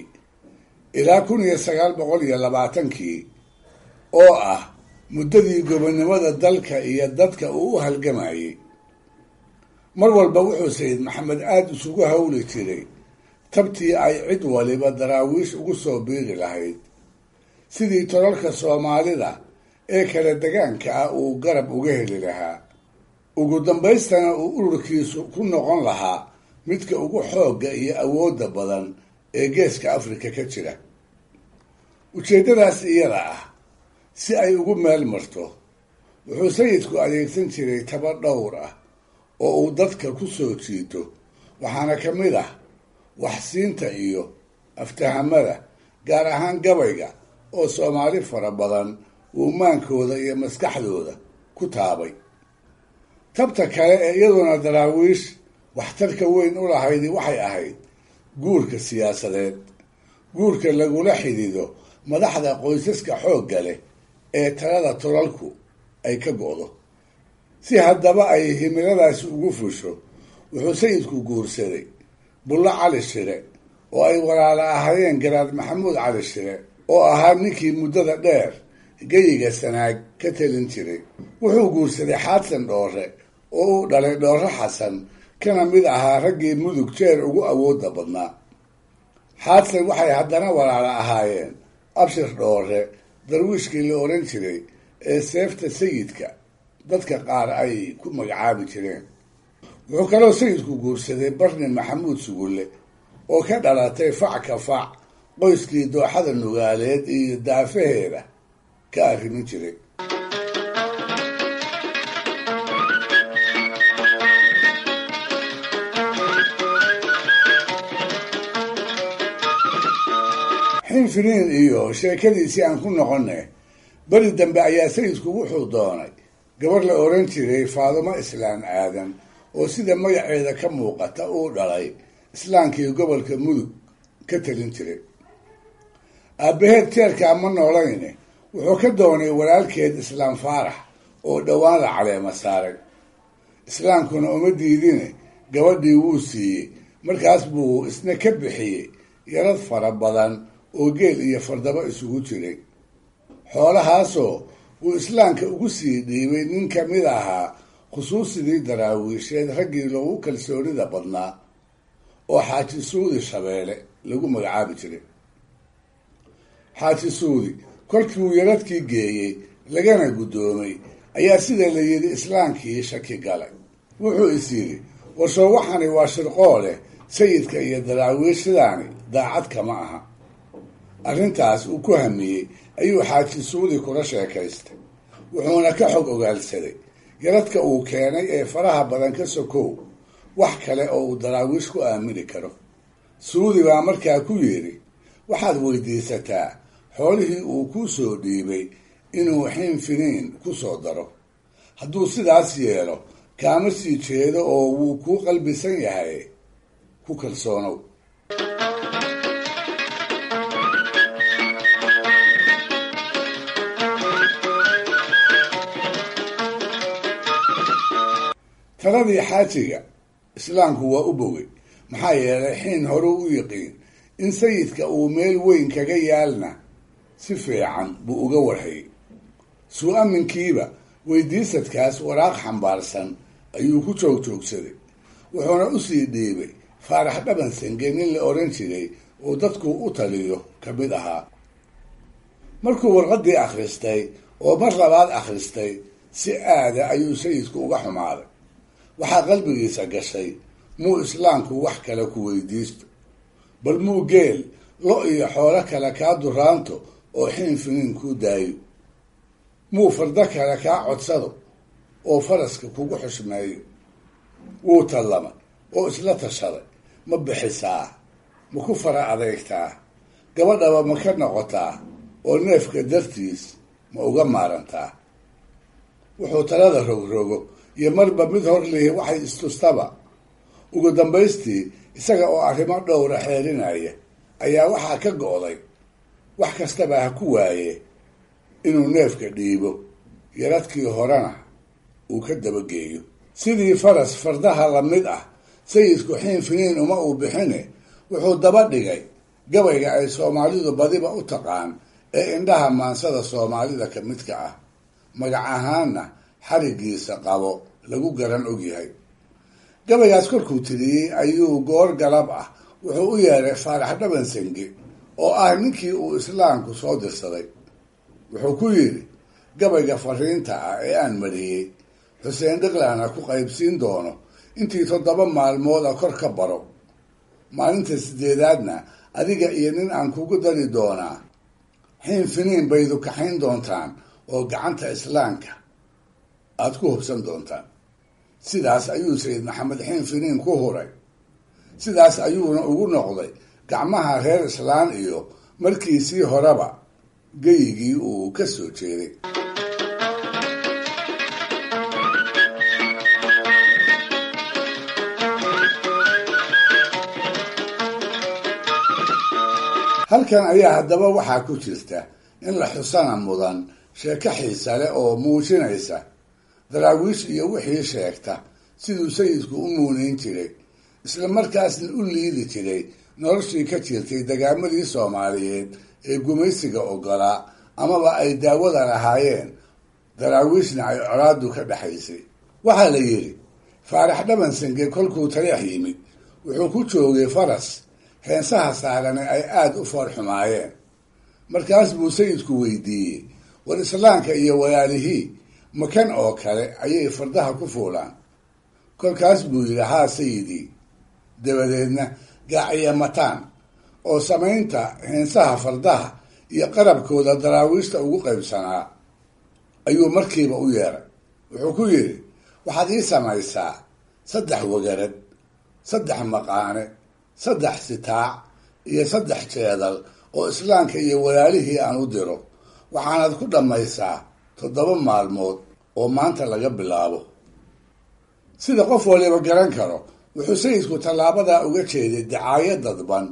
ilaa 1920-kii, oo ah muddadii gobonnimada dalka iyo dadka uu u halgamayey, mar walba wuxuu Sayid Maxamed aada isugu hawli jiray tabtii ay cid waliba daraawiish ugu soo biiri lahayd, sidii tolalka Soomaalida ee kala degaanka ah uu garab uga heli lahaa, ugu dambaystana uu ururkiisu ku noqon lahaa midka ugu xoogga iyo awoodda badan ee geeska Afrika ka jira. Ujeeddadaas iyada ah si ay ugu meel marto, wuxuu sayidku adeegsan jiray taba dhowr ah oo uu dadka ku soo jiito, waxaana ka mid ah waxsiinta iyo aftahamada, gaar ahaan gabayga oo Soomaali fara badan uu maankooda iyo maskaxdooda ku taabay. Tabta kale ee iyaduna daraawiish waxtarka weyn u lahaydi waxay ahayd guurka siyaasadeed, guurka lagula xidido madaxda qoysaska xoogga leh ee talada tolalku ay ka go'do. Si haddaba ay himiladaasi ugu fusho, Wuxuu sayidku guursaday Bullo Cali Shire oo ay walaala ahaayeen Garaad Maxamuud Cali Shire oo ahaa ninkii muddada dheer geyiga Sanaag ka telin jiray. Wuxuu guursaday Xaadsan Dhoore oo uu dhalay Dhoore Xasan, kana mid ahaa raggii Mudug jeer ugu awoodda badnaa. Xaadsan waxay haddana walaala ahaayeen Abshir Dhoore, darwiishkii la oran jiray ee seefta sayidka dadka qaar ay ku magacaabi jireen. Wuxuu kaloo sayidku guursaday Barni Maxamuud Sugulle oo ka dhalatay fac ka fac qoyskii dooxada Nugaaleed iyo daafaheeda ka arrimin jiray. Xinfiniin iyo sheekadiisii aan ku noqonay, beri dambe ayaa sayidku wuxuu doonay gabar la oran jiray Faadumo Islaan Aadan oo sida magaceeda ka muuqata uu dhalay islaankii gobolka Mudug ka talin jiray. Aabbaheed jeerkaa ma noolayne, wuxuu ka doonay walaalkeed Islaam Faarax oo dhowaan la caleema saaray. Islaamkuna uma diidine, gabadhii wuu siiyey. Markaas buu isna ka bixiyey yarad fara badan oo geel iyo fardaba isugu jiray, xoolahaasoo uu islaamka ugu sii dhiibay nin ka mid ahaa khusuusidii daraawiisheed raggii loogu kalsoonida badnaa oo Xaaji Suudi Shabeele lagu magacaabi jiray. Xaaji Suudi kolkii uu yaradkii geeyey lagana guddoomay ayaa sida la yidhi islaamkii shaki galay. Wuxuu is yidhi, warsoo waxani waa shirqooleh, sayidka iyo daraawiishidaani daacad kama aha. Arrintaas uu ku hamiyey ayuu Xaaji Suudi kula sheekaystay, wuxuuna ka xog ogaalsaday yaradka uu keenay ee faraha badan ka sokow wax kale oo uu daraawiish ku aamini karo. Suudi baa markaa ku yidhi, waxaad weydiisataa xoolihii uu kuu soo dhiibay inuu Xinfiniin ku soo daro. Hadduu sidaas yeelo kaama sii jeedo oo wuu kuu qalbisan yahay, ku kalsoonow. Taladii xaajiga islaamku waa u bogay, maxaa yeelay xiin horuu u yiqiin in sayidka uu meel weyn kaga yaalna si fiican buu uga warhayay. Suu-aminkiiba weydiisadkaas waraaq xambaarsan ayuu ku joogjoogsaday, wuxuuna usii dhiibay Faarax Dhaban Sange nin la oran jiray oo dadku u taliyo ka mid ahaa. Markuu warqaddii akhristay oo mar labaad akhristay, si aada ayuu sayidku uga xumaaday. Waxaa qalbigiisa gashay, muu islaamku wax kale ku weydiisto, bal muu geel lo iyo xoolo kale kaa duraanto oo Xinfiniin kuu daayo, muu fardo kale kaa codsado oo faraska kugu xushmeeyo. Wuu tallamay oo isla tashaday, ma bixisaa, ma ku fara adeegtaa, gabadhaba ma ka noqotaa oo neefka dartiis ma uga maarantaa. Wuxuu talada rogrogo iyo marba mid hor lihi waxay istustaba. Ugu dambaystii isaga oo arrimo dhowra xeerinaya ayaa waxaa ka go'day wax kastaba ha ku waaye inuu neefka dhiibo, yaradkii horena uu ka dabageeyo. Sidii faras fardaha la mid ah sayidku Xinfiniin uma uu bixine, wuxuu daba dhigay gabayga ay Soomaalidu badiba u taqaan ee indhaha maansada Soomaalida ka midka ah, magac ahaanna xarigiisa qabo lagu garan ogyahay. Gabaygaas kolkuu tiriyey ayuu goor galab ah wuxuu u yeeray Faarax Dhaban Sange oo ah ninkii uu islaamku soo dirsaday. Wuxuu ku yidhi, gabayga fariinta ah ee aan mariyey Xuseen Dhiqlana ku qaybsiin doono intii 7 maalmood a kor ka baro. Maalinta 8aadna adiga iyo nin aan kugu dari doonaa Xinfiniin baydu kaxayn doontaan oo gacanta islaamka aad ku hubsan doontaan. Sidaas ayuu Sayid Maxamed Xinfiniin ku huray. Sidaas ayuuna ugu noqday gacmaha reer islaan iyo markiisii horeba geyigii uu ka soo jeeday. Halkan ayaa haddaba waxaa ku jirta in la xusana mudan sheeko xiisa leh oo muujinaysa daraawiish iyo wixii sheegta siduu sayidku u muunayn jiray, isla markaasna u liidi jiray noloshii ka jirtay dagaamadii Soomaaliyeed ee gumaysiga oggolaa amaba ay daawada lahaayeen, daraawiishna ay colaaddu ka dhexaysay. Waxaa la yidhi Faarax Dhabansange kolkuu Taleex yimid wuxuu ku joogay faras heensaha saarane ay aada u foorxumaayeen. Markaas buu sayidku weydiiyey, war islaamka iyo walaalihii makan oo kale ayay fardaha ku fuulaan? Kolkaas buu yidhi, haa sayidii. Dabadeedna gaaciya mataan oo samaynta heensaha fardaha iyo qarabkooda daraawiishta ugu qaybsanaa ayuu markiiba u yeeray. Wuxuu ku yidhi, waxaad ii samaysaa 3 wagarad, 3 maqaane, 3 sitaac iyo 3 jeedal oo islaamka iyo walaalihii aan u diro. Waxaanaad ku dhammaysaa 7 maalmood oo maanta laga bilaabo. Sida qof waliba garan karo, wuxuu sayidku tallaabadaa uga jeeday dacaayad dadban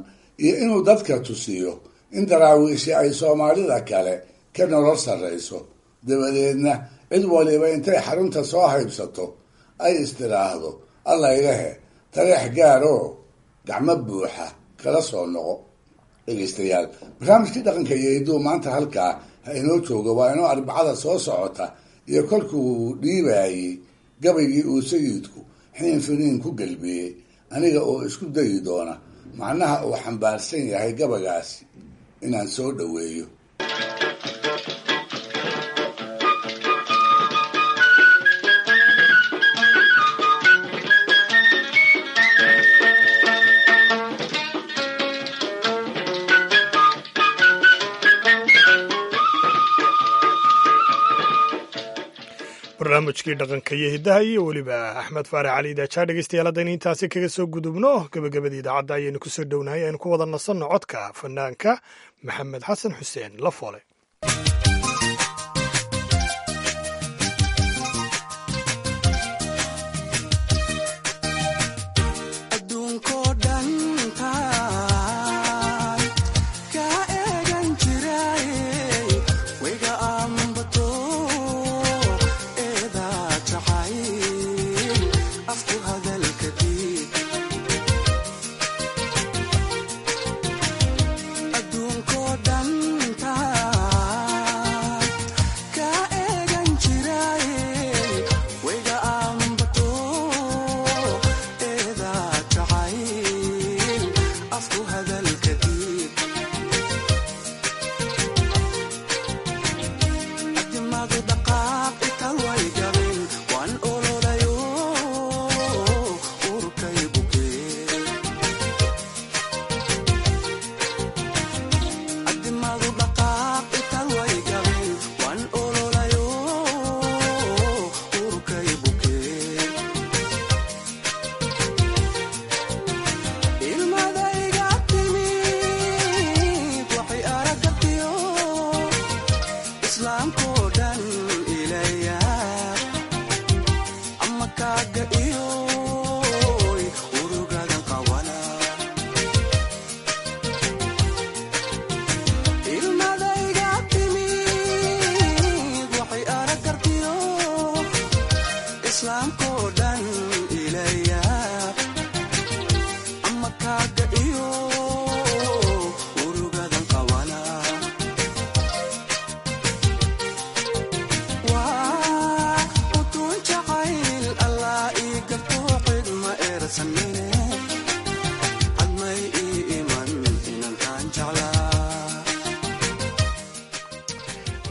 iyo inuu dadka tusiyo in daraawiishi ay Soomaalida kale ka nolol sarrayso. Dabadeedna cid waliba intay xarunta soo haybsato ay istiraahdo, alla ilahe Taleex gaaroo gacmo buuxa kala soo noqo. Dhegeystayaal, barnaamijkii dhaqanka iyo hidduu maanta halkaa ha inoo joogo. Waa inoo Arbacada soo socota iyo kolkuu dhiibaayey gabaygii uu sayidku xiin finiin ku gelbiyey, aniga oo isku dayi doona macnaha uu xambaarsan yahay gabaygaasi inaan soo dhoweeyo. Barnaamijkii dhaqanka iyo hiddaha iyo weliba Axmed Faarax Cali Idaajaa. Dhegeystayaal, haddaynu intaasi kaga soo gudubno gabagabadii idaacadda ayaynu kusoo dhownahay. Aynu ku wada nasanno codka fanaanka Maxamed Xasan Xuseen Lafoole.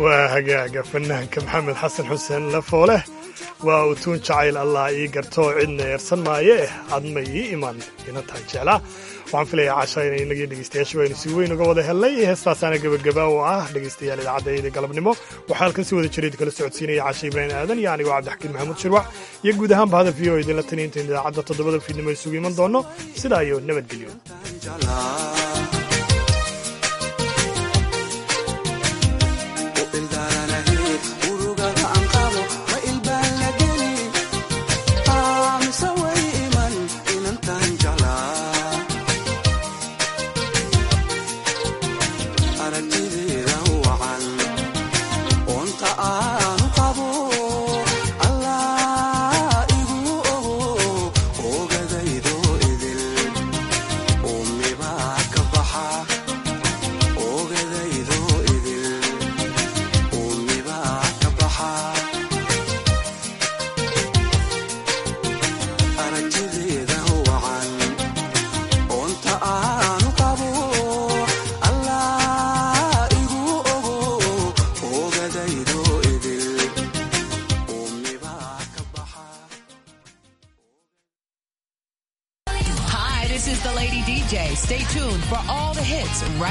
Waa hagaaga fanaanka Maxamed Xasan Xuseen Lafooleh, waa utuun jacayl allah ii gartoo cidna eersan maaye, adma ii iman inantaan jeclaa. Waxaan filayaa casha inay inagii dhegeystayaashu aynu si weyn uga wada helnay heestaasaana gebagaba oo ah. Dhegeystayaal, idaacadda galabnimo waxaa halkan si wada jireed kala socodsiinaya Cashe Ibraahim Aadan iyo anigoo Cabdixakiin Maxamuud Shirwac iyo guud ahaanba hadaf v o idinla taniya intayn idaacadda 7da fiidnimo isugu iman doono. Sidaa iyo nabadgelyo. Onta aanu qabo Allah igu ogo. News right